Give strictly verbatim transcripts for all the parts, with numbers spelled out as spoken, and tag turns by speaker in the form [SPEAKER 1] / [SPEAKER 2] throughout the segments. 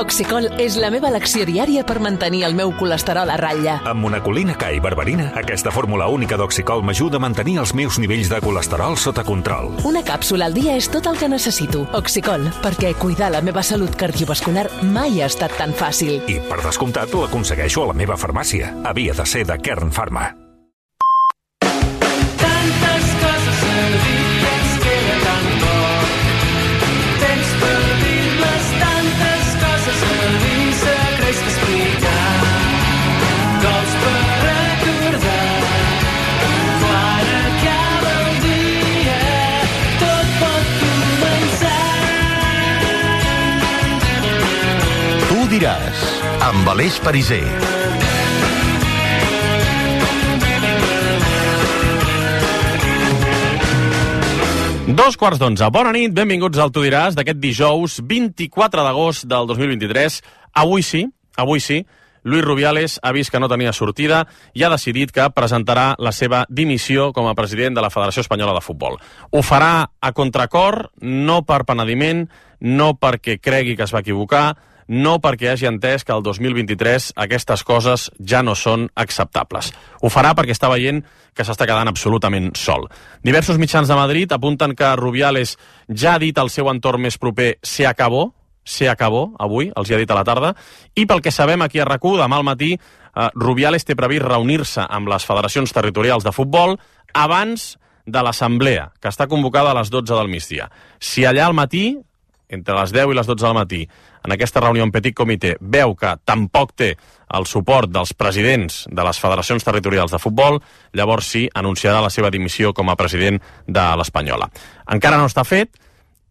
[SPEAKER 1] Oxicol és la meva elecció diària per mantenir el meu colesterol a ratlla.
[SPEAKER 2] Amb monacolina K i berberina, aquesta fórmula única d'Oxicol m'ajuda a mantenir els meus nivells de colesterol sota control.
[SPEAKER 1] Una càpsula al dia és tot el que necessito. Oxicol, perquè cuidar la meva salut cardiovascular mai ha estat tan fàcil.
[SPEAKER 2] I, per descomptat, l'aconsegueixo a la meva farmàcia. Havia de ser de Kern Pharma.
[SPEAKER 3] Tantes coses a dir, ens queda tan poc. Temps per dir-les, tantes coses a dir, secrets que explicar. Cops per recordar, quan acaba el dia, tot pot començar.
[SPEAKER 4] Tu diràs, amb Aleix Pariser.
[SPEAKER 5] Dos quarts d'onze. Bona nit, benvinguts al Tu diràs d'aquest dijous vint-i-quatre d'agost del dos mil vint-i-tres. Avui sí, avui sí, Luis Rubiales ha vist que no tenia sortida i ha decidit que presentarà la seva dimissió com a president de la Federació Espanyola de Futbol. Ho farà a contracor, no per penediment, no perquè cregui que es va equivocar, no perquè hagi entès que el dos mil vint-i-tres aquestes coses ja no són acceptables. Ho farà perquè està veient que s'està quedant absolutament sol. Diversos mitjans de Madrid apunten que Rubiales ja ha dit al seu entorn més proper «se acabó», «se acabó», avui, els hi ha dit a la tarda, i pel que sabem aquí a RAC u, demà al matí, eh, Rubiales té previst reunir-se amb les federacions territorials de futbol abans de l'assemblea, que està convocada a les dotze del migdia. Si allà al matí, entre les deu i les dotze del matí, en aquesta reunió en petit comitè, veu que tampoc té el suport dels presidents de les federacions territorials de futbol, llavors sí, anunciarà la seva dimissió com a president de l'Espanyola. Encara no està fet.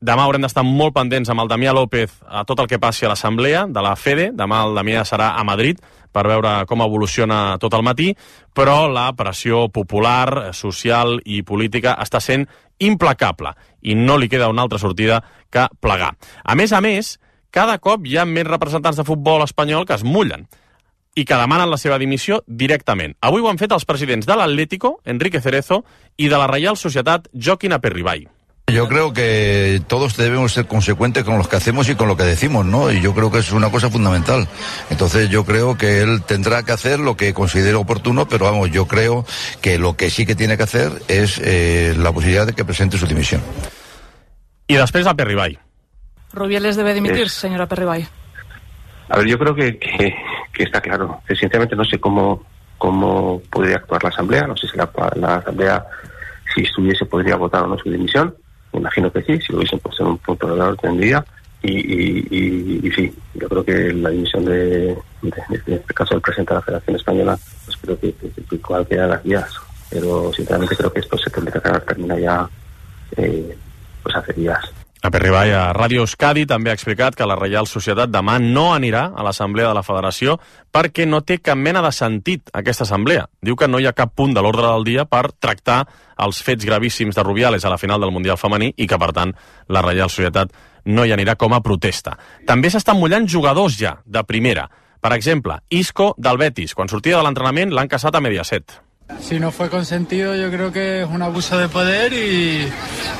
[SPEAKER 5] Demà haurem d'estar molt pendents amb el Damià López a tot el que passi a l'assemblea de la FEDE. Demà el Damià serà a Madrid per veure com evoluciona tot el matí, però la pressió popular, social i política està sent implacable i no li queda una altra sortida que plegar. A més a més, cada cop hi ha més representants de futbol espanyol que es mullen i que demanen la seva dimissió directament. Avui ho han fet els presidents de l'Atlético, Enrique Cerezo, i de la Reial Societat, Joaquín Aperribay.
[SPEAKER 6] Yo creo que todos debemos ser consecuentes con lo que hacemos y con lo que decimos, ¿no? Y yo creo que es una cosa fundamental. Entonces yo creo que él tendrá que hacer lo que considere oportuno, pero vamos, yo creo que lo que sí que tiene que hacer es eh, la posibilidad de que presente su dimisión.
[SPEAKER 5] Y después Aperribay.
[SPEAKER 7] Rubiales debe dimitir,
[SPEAKER 8] es...
[SPEAKER 7] señor Aperribay.
[SPEAKER 8] A ver, yo creo que, que, que está claro. Que sinceramente no sé cómo, cómo podría actuar la Asamblea. No sé si la, la Asamblea, si estuviese, podría votar o no su dimisión. Me imagino que sí, si lo hubiesen puesto en un punto de la orden del día. Y, y, y, y sí, yo creo que la dimisión de, de, de, de este caso del presidente de la Federación Española, pues creo que, que, que cualquiera de las vías. Pero sinceramente creo que esto se tendría que terminar ya eh, pues hace días.
[SPEAKER 5] Aperribay a Ràdio Euskadi també ha explicat que la Reial Societat demà no anirà a l'Assemblea de la Federació perquè no té cap mena de sentit aquesta assemblea. Diu que no hi ha cap punt de l'ordre del dia per tractar els fets gravíssims de Rubiales a la final del Mundial femení i que, per tant, la Reial Societat no hi anirà com a protesta. També s'estan mullant jugadors ja, de primera. Per exemple, Isco del Betis. Quan sortia de l'entrenament l'han caçat a Mediaset.
[SPEAKER 9] Si no fue consentido, yo creo que es un abuso de poder y,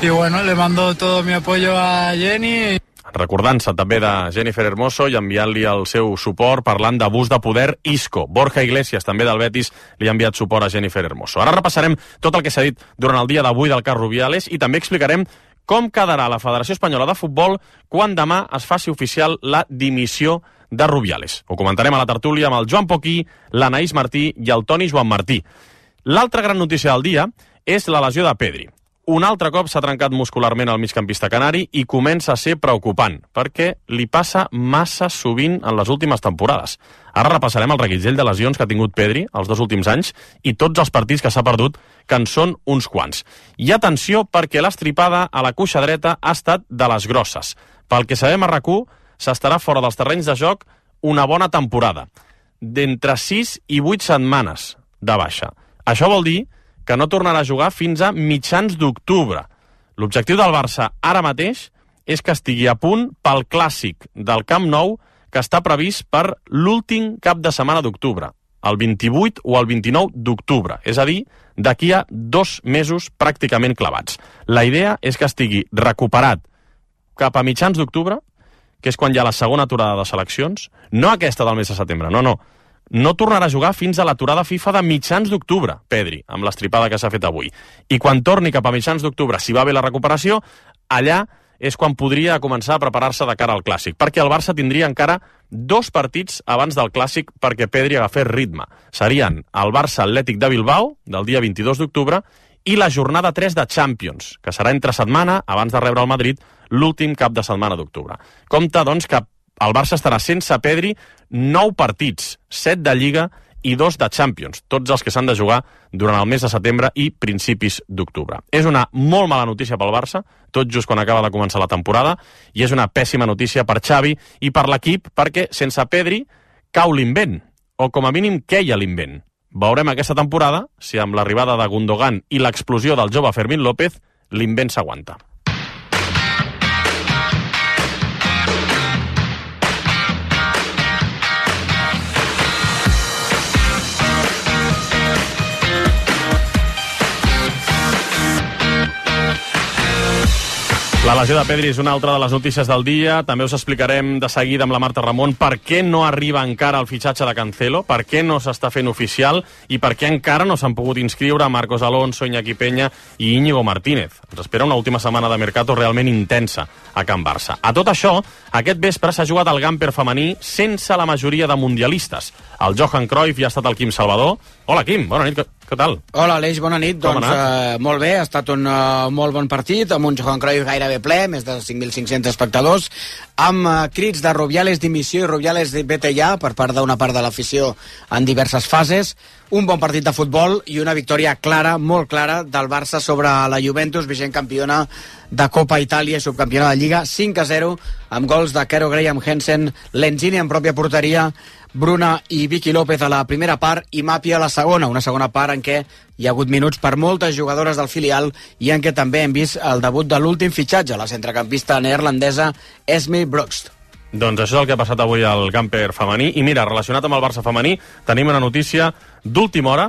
[SPEAKER 9] y bueno, le mando todo mi apoyo a Jenny.
[SPEAKER 5] Recordant-se també de Jennifer Hermoso i enviant-li el seu suport parlant d'abús de poder Isco. Borja Iglesias, també del Betis, li ha enviat suport a Jennifer Hermoso. Ara repassarem tot el que s'ha dit durant el dia d'avui del cas Rubiales i també explicarem com quedarà la Federació Espanyola de Futbol quan demà es faci oficial la dimissió de Rubiales. Ho comentarem a la tertúlia amb el Joan Poquí, l'Anaïs Martí i el Toni Joan Martí. L'altra gran notícia del dia és la lesió de Pedri. Un altre cop s'ha trencat muscularment el migcampista canari i comença a ser preocupant, perquè li passa massa sovint en les últimes temporades. Ara repassarem el reguitzell de lesions que ha tingut Pedri els dos últims anys i tots els partits que s'ha perdut, que en són uns quants. I atenció, perquè l'estripada a la cuixa dreta ha estat de les grosses. Pel que sabem a RAC u, s'estarà fora dels terrenys de joc una bona temporada, d'entre sis i vuit setmanes de baixa. Això vol dir que no tornarà a jugar fins a mitjans d'octubre. L'objectiu del Barça ara mateix és que estigui a punt pel clàssic del Camp Nou que està previst per l'últim cap de setmana d'octubre, el vint-i-vuit o el vint-i-nou d'octubre, és a dir, d'aquí a dos mesos pràcticament clavats. La idea és que estigui recuperat cap a mitjans d'octubre, que és quan hi ha la segona aturada de seleccions, no aquesta del mes de setembre, no, no, no tornarà a jugar fins a l'aturada FIFA de mitjans d'octubre, Pedri, amb l'estripada que s'ha fet avui. I quan torni cap a mitjans d'octubre, si va bé la recuperació, allà és quan podria començar a preparar-se de cara al Clàssic, perquè el Barça tindria encara dos partits abans del Clàssic perquè Pedri agafés ritme. Serien el Barça Atlètic de Bilbao, del dia vint-i-dos d'octubre, i la jornada tres de Champions, que serà entre setmana, abans de rebre el Madrid, l'últim cap de setmana d'octubre. Compte, doncs, que el Barça estarà sense Pedri nou partits, set de Lliga i dos de Champions, tots els que s'han de jugar durant el mes de setembre i principis d'octubre. És una molt mala notícia pel Barça, tot just quan acaba de començar la temporada, i és una pèssima notícia per Xavi i per l'equip, perquè sense Pedri cau l'invent, o com a mínim queia l'invent. Veurem aquesta temporada si amb l'arribada de Gundogan i l'explosió del jove Fermín López l'invent s'aguanta. La lesió de Pedri és una altra de les notícies del dia. També us explicarem de seguida amb la Marta Ramon per què no arriba encara el fitxatge de Cancelo, per què no s'està fent oficial i per què encara no s'han pogut inscriure Marcos Alonso, Iñaki Peña i Íñigo Martínez. Ens espera una última setmana de mercato realment intensa a Can Barça. A tot això, aquest vespre s'ha jugat el Gamper femení sense la majoria de mundialistes. El Johan Cruyff i ha estat el Quim Salvador. Hola, Quim, bona nit, què tal?
[SPEAKER 10] Hola, Aleix, bona nit.
[SPEAKER 5] Com
[SPEAKER 10] doncs eh, molt bé, ha estat un uh, molt bon partit, amb un Johan Cruyff gairebé ple, més de cinc mil cinc-cents espectadors, amb uh, crits de Rubiales dimissió i Rubiales vete ja per part d'una part de l'afició en diverses fases. Un bon partit de futbol i una victòria clara, molt clara, del Barça sobre la Juventus, vigent campiona de Copa Itàlia i subcampiona de Lliga, cinc a zero, amb gols de Kero Graham Hansen, Lenzini en pròpia porteria, Bruna i Vicky López a la primera part i Mapi a la segona, una segona part en què hi ha hagut minuts per moltes jugadores del filial i en què també hem vist el debut de l'últim fitxatge, la centrecampista neerlandesa Esme Brugst.
[SPEAKER 5] Doncs això és el que ha passat avui al Gamper femení. I mira, relacionat amb el Barça femení, tenim una notícia d'última hora.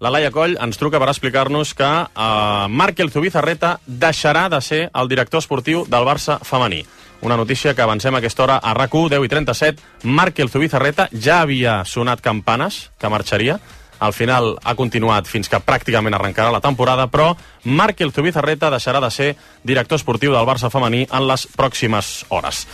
[SPEAKER 5] La Laia Coll ens truca per explicar-nos que eh, Markel Zubizarreta deixarà de ser el director esportiu del Barça femení. Una notícia que avancem a aquesta hora a RAC u, deu i trenta-set. Markel Zubizarreta ja havia sonat campanes que marxaria. Al final ha continuat fins que pràcticament arrencarà la temporada, però Markel Zubizarreta deixarà de ser director esportiu del Barça femení en les pròximes hores.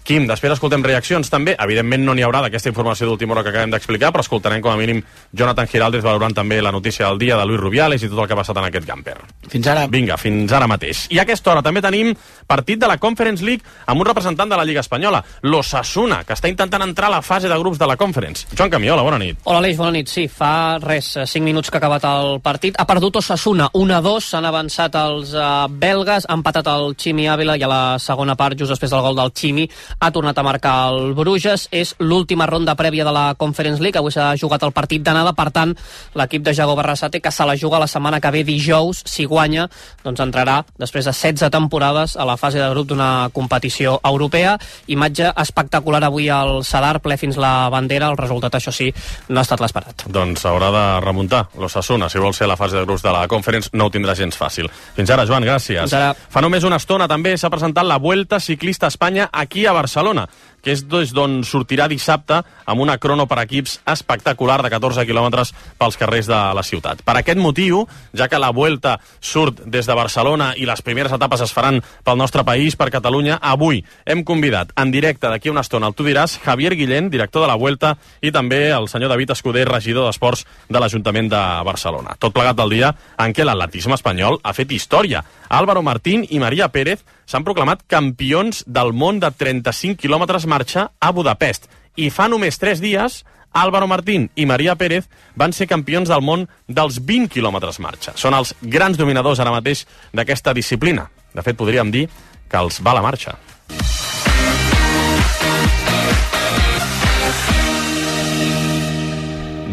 [SPEAKER 5] Quim, després escoltem reaccions també. Evidentment no n'hi haurà d'aquesta informació d'última hora que acabem d'explicar, però escoltarem com a mínim Jonathan Giraldez valorant també la notícia del dia de Luis Rubiales i tot el que ha passat en aquest Gamper.
[SPEAKER 10] Fins ara.
[SPEAKER 5] Vinga, fins ara mateix. I a aquesta hora també tenim partit de la Conference League amb un representant de la Lliga Espanyola, l'Osasuna, que està intentant entrar a la fase de grups de la Conference. Joan Camiola, bona nit.
[SPEAKER 11] Hola, Aleix, bona nit. Sí, fa res, cinc minuts que ha acabat el partit. Ha perdut Osasuna, un a dos, s'han avançat els uh, belgues, ha empatat el Chimi Ávila i a la segona part, just després del gol del Chimi, ha tornat a marcar el Bruges. És l'última ronda prèvia de la Conference League. Avui s'ha jugat el partit d'anada, per tant, l'equip de Jago Barrasate, que se la juga la setmana que ve dijous, si guanya, doncs entrarà després de setze temporades a la fase de grup d'una competició europea. Imatge espectacular avui al Sadar, ple fins la bandera. El resultat, això sí, no ha estat l'esperat.
[SPEAKER 5] Doncs haurà de remuntar l'Osasuna. Si vol ser a la fase de grups de la Conference, no ho tindrà gens fàcil. Fins ara, Joan, gràcies.
[SPEAKER 11] Fins ara.
[SPEAKER 5] Fa només una estona també s'ha presentat la Vuelta Ciclista a Espanya aquí a Barcelona, que és d'on sortirà dissabte amb una crono per equips espectacular de catorze quilòmetres pels carrers de la ciutat. Per aquest motiu, ja que la Vuelta surt des de Barcelona i les primeres etapes es faran pel nostre país, per Catalunya, avui hem convidat en directe d'aquí una estona, el Tu diràs, Javier Guillén, director de la Vuelta, i també el senyor David Escuder, regidor d'Esports de l'Ajuntament de Barcelona. Tot plegat del dia en què l'atletisme espanyol ha fet història. Álvaro Martín i Maria Pérez s'han proclamat campions del món de trenta-cinc quilòmetres marxa a Budapest. I fa només tres dies, Álvaro Martín i Maria Pérez van ser campions del món dels vint quilòmetres marxa. Són els grans dominadors ara mateix d'aquesta disciplina. De fet, podríem dir que els va la marxa.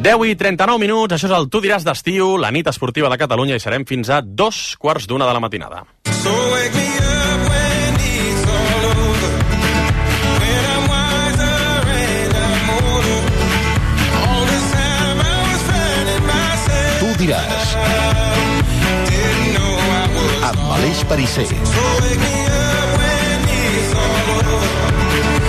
[SPEAKER 5] deu i trenta-nou minuts, això és el Tu diràs d'estiu, la nit esportiva de Catalunya, i serem fins a dos quarts d'una de la matinada. So wake me up when it's all over, when I'm wiser and I'm older. All this time I was finding myself.
[SPEAKER 4] Tu diràs. Amb Aleix Pariser. So wake me up when it's all over.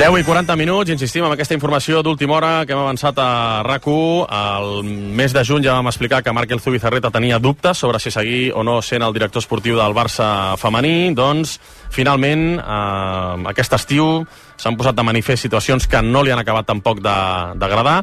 [SPEAKER 5] deu i quaranta minuts, insistim amb aquesta informació d'última hora que hem avançat a RAC u. Al mes de juny ja vam explicar que Marc Zubizarreta tenia dubtes sobre si seguir o no sent el director esportiu del Barça femení. Doncs, finalment, eh, aquest estiu s'han posat de manifest situacions que no li han acabat tampoc d'agradar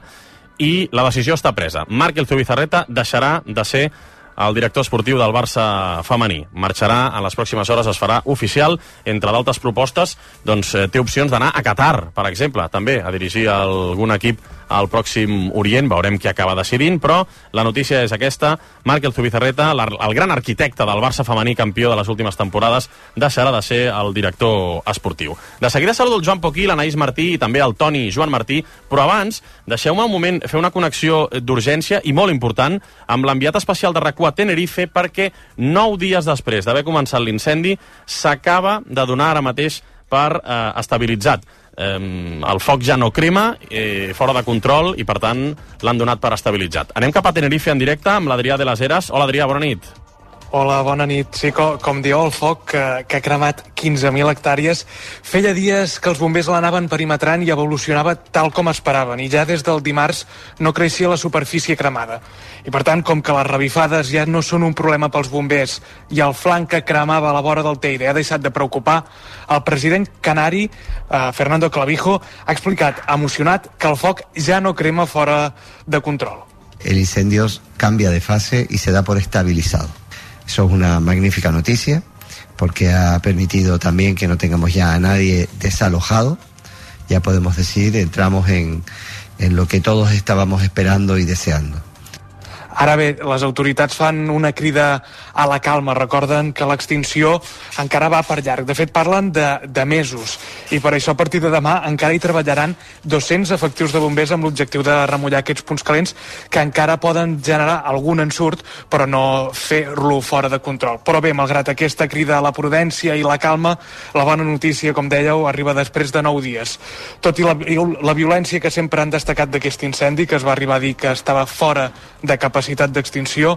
[SPEAKER 5] i la decisió està presa. Marc Zubizarreta deixarà de ser el director esportiu del Barça femení. Marxarà en les pròximes hores, es farà oficial. Entre d'altres propostes, doncs, té opcions d'anar a Qatar, per exemple, també a dirigir algun equip al Pròxim Orient. Veurem qui acaba decidint, però la notícia és aquesta. Marc Zubizarreta, el gran arquitecte del Barça femení, campió de les últimes temporades, deixarà de ser el director esportiu. De seguida saludo el Joan Poquí, l'Anaïs Martí i també el Toni Joan Martí, però abans deixeu-me un moment fer una connexió d'urgència i molt important amb l'enviat especial de RAC u a Tenerife, perquè nou dies després d'haver començat l'incendi s'acaba de donar ara mateix per eh, estabilitzat. Eh, el foc ja no crema, eh, fora de control, i per tant l'han donat per estabilitzat. Anem cap a Tenerife en directe amb l'Adrià de les Heras. Hola Adrià, bona nit.
[SPEAKER 12] Hola, bona nit. Sí, com, com dieu, el foc que, que ha cremat quinze mil hectàrees feia dies que els bombers l'anaven perimetrant i evolucionava tal com esperaven, i ja des del dimarts no creixia la superfície cremada. I per tant, com que les revifades ja no són un problema pels bombers i el flanc que cremava a la vora del Teide ha deixat de preocupar, el president canari, eh, Fernando Clavijo, ha explicat, emocionat, que el foc ja no crema fora de control.
[SPEAKER 13] El incendio cambia de fase y se da por estabilizado. Eso es una magnífica noticia, porque ha permitido también que no tengamos ya a nadie desalojado. Ya podemos decir, entramos en, en lo que todos estábamos esperando y deseando.
[SPEAKER 12] Ara bé, les autoritats fan una crida a la calma. Recorden que l'extinció encara va per llarg. De fet, parlen de, de mesos. I per això, a partir de demà, encara hi treballaran dos-cents efectius de bombers amb l'objectiu de remullar aquests punts calents que encara poden generar algun ensurt, però no fer-lo fora de control. Però bé, malgrat aquesta crida a la prudència i la calma, la bona notícia, com dèieu, arriba després de nou dies. Tot i la, la violència que sempre han destacat d'aquest incendi, que es va arribar a dir que estava fora de capacitat d'extinció,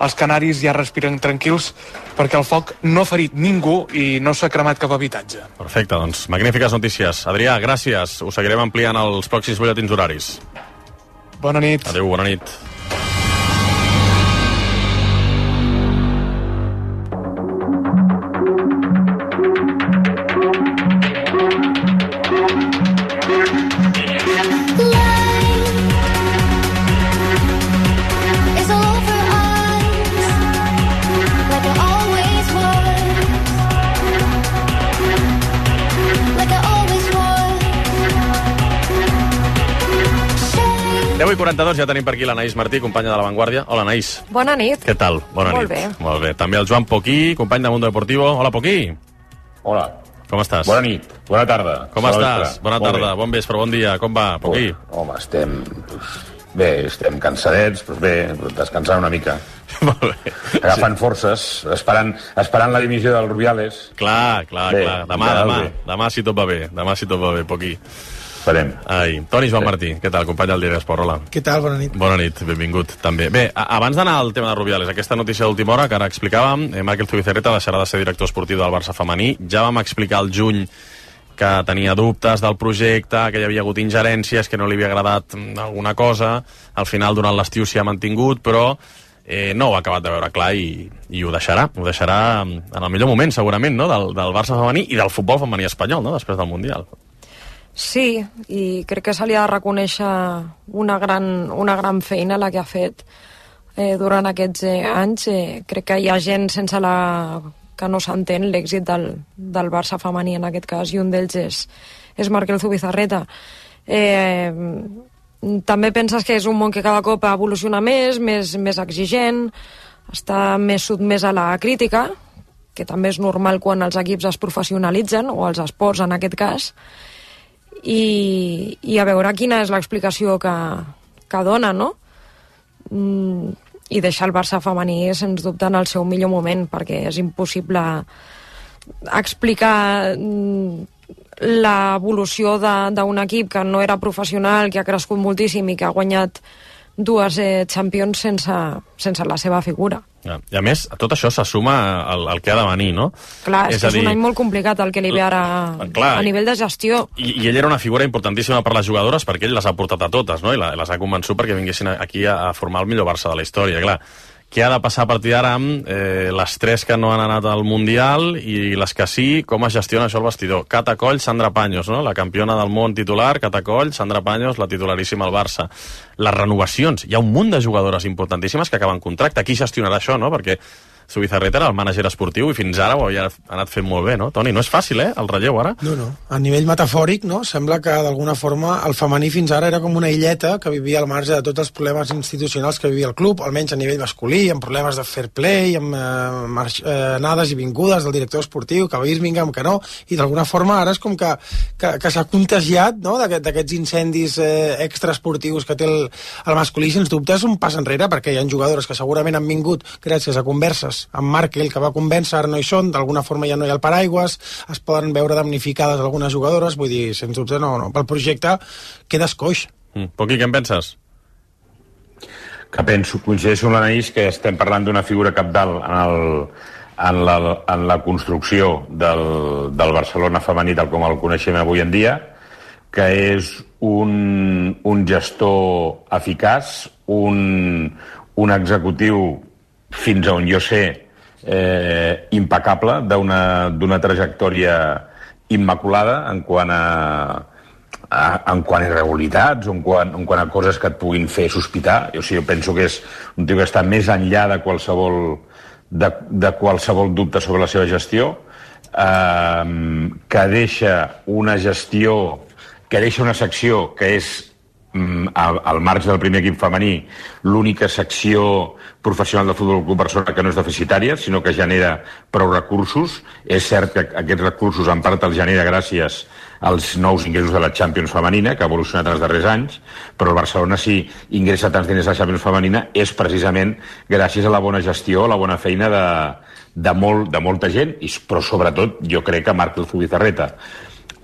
[SPEAKER 12] els canaris ja respiren tranquils perquè el foc no ha ferit ningú i no s'ha cremat cap habitatge.
[SPEAKER 5] Perfecte, doncs magnífiques notícies. Adrià, gràcies. Ho seguirem ampliant als pròxims butlletins horaris.
[SPEAKER 12] Bona nit.
[SPEAKER 5] Adéu, bona nit. deu i quaranta-dos, ja tenim per aquí l'Anaïs Martí, companya de La Vanguardia. Hola, Anaïs.
[SPEAKER 7] Bona nit.
[SPEAKER 5] Què tal? Bona
[SPEAKER 7] Molt
[SPEAKER 5] nit.
[SPEAKER 7] bé.
[SPEAKER 5] Molt bé. També el Joan Poquí, company de Mundo Deportivo. Hola, Poquí.
[SPEAKER 14] Hola.
[SPEAKER 5] Com estàs?
[SPEAKER 14] Bona nit. Bona tarda.
[SPEAKER 5] Com
[SPEAKER 14] Bona
[SPEAKER 5] estàs?
[SPEAKER 14] vespre.
[SPEAKER 5] Bona
[SPEAKER 14] Molt
[SPEAKER 5] tarda.
[SPEAKER 14] bé.
[SPEAKER 5] Bon vespre, bon dia. Com va, Poquí?
[SPEAKER 14] Oh, home, estem... Bé, estem cansadets, però bé, descansant una mica.
[SPEAKER 5] Molt bé.
[SPEAKER 14] Agafant sí. forces, esperant, esperant la dimissió del Rubiales.
[SPEAKER 5] Clar, clar,
[SPEAKER 14] bé,
[SPEAKER 5] clar. Demà,
[SPEAKER 14] ja,
[SPEAKER 5] demà.
[SPEAKER 14] bé.
[SPEAKER 5] Demà si tot va bé. Demà si tot va bé, Poquí.
[SPEAKER 14] Esperem.
[SPEAKER 5] Ai, Toni Joan Martí, què tal, company del Diari Esport, hola.
[SPEAKER 15] Què tal, bona nit.
[SPEAKER 5] Bona nit, benvingut, també. Bé, a abans d'anar al tema de Rubiales, aquesta notícia d'última hora que ara explicàvem, eh, Marc Zubizarreta deixarà de ser director esportiu del Barça femení. Ja vam explicar al juny que tenia dubtes del projecte, que hi havia hagut ingerències, que no li havia agradat alguna cosa. Al final, durant l'estiu s'hi ha mantingut, però eh, no ho ha acabat de veure clar i, i ho deixarà. Ho deixarà en el millor moment, segurament, no? del, del Barça femení i del futbol femení espanyol, no? Després del Mundial.
[SPEAKER 7] Sí, i crec que se li ha de reconèixer una gran, una gran feina la que ha fet eh, durant aquests eh, anys. Eh, crec que hi ha gent sense la que no s'entén l'èxit del, del Barça femení en aquest cas, i un d'ells és, és Marc Zubizarreta. Eh, també penses que és un món que cada cop evoluciona més, més, més exigent, està més sotmès a la crítica, que també és normal quan els equips es professionalitzen, o els esports en aquest cas, i, i a veure quina és l'explicació que, que dona, no? Mm, i deixar el Barça femení sens dubte en el seu millor moment, perquè és impossible explicar l'evolució d'un equip que no era professional, que ha crescut moltíssim i que ha guanyat dues eh, Champions sense, sense la seva figura.
[SPEAKER 5] Ja. I a més, tot això se suma al, al que ha de venir, no?
[SPEAKER 7] Clar, és, és que és
[SPEAKER 5] dir,
[SPEAKER 7] un any molt complicat el que li ve ara
[SPEAKER 5] clar,
[SPEAKER 7] a nivell de gestió.
[SPEAKER 5] I, I ell era una figura importantíssima per les jugadores perquè ell les ha portat a totes, no? I la, les ha convençut perquè vinguessin aquí a, a formar el millor Barça de la història, clar. Què ha de passar a partir d'ara amb eh, les tres que no han anat al Mundial i les que sí, com es gestiona això al vestidor? Cata Coll, Sandra Paños, no? La campiona del món titular, Cata Coll, Sandra Paños, la titularíssima al Barça. Les renovacions, hi ha un munt de jugadores importantíssimes que acaben contracte. Qui gestionarà això, no? Perquè Zubizarreta era el mànager esportiu i fins ara ho havia anat fent molt bé, no? Toni, no és fàcil, eh, el relleu ara?
[SPEAKER 15] No, no. A nivell metafòric, no? Sembla que d'alguna forma el femení fins ara era com una illeta que vivia al marge de tots els problemes institucionals que vivia el club, almenys a nivell masculí, amb problemes de fair play, amb eh, marx, eh, anades i vingudes del director esportiu, que a Birmingham, que no, i d'alguna forma ara és com que, que, que s'ha contagiat, no?, d'aquests incendis eh, extraesportius que té el, el masculí. Sens dubte és un pas enrere, perquè hi ha jugadores que segurament han vingut gràcies a converses amb Markel, que va convèncer, ara no hi són, d'alguna forma ja no hi ha el paraigües, es poden veure damnificades algunes jugadores, vull dir, sens dubte no, no. Pel projecte quedes coix.
[SPEAKER 5] Mm. Poqui, què en penses?
[SPEAKER 14] Que penso, coincideixo amb l'Anaís, que estem parlant d'una figura capdalt en, el, en, la, en la construcció del, del Barcelona femení tal com el coneixem avui en dia, que és un, un gestor eficaç, un, un executiu fins a on jo sé, eh, impecable, d'una trajectòria immaculada en quant a, a, en quant a irregularitats, en quant, en quant a coses que et puguin fer sospitar. O sigui, jo penso que és un tio que està més enllà de qualsevol, de, de qualsevol dubte sobre la seva gestió, eh, que deixa una gestió, que deixa una secció que és Al, al marge del primer equip femení, l'única secció professional del Futbol Club Barcelona que no és deficitària, sinó que genera prou recursos. És cert que aquests recursos en part els genera gràcies als nous ingressos de la Champions femenina, que ha evolucionat en els darrers anys, però el Barcelona, si ingressa tants diners a la Champions femenina, és precisament gràcies a la bona gestió, a la bona feina de, de, molt, de molta gent, i, però sobretot jo crec que Markel Zubizarreta.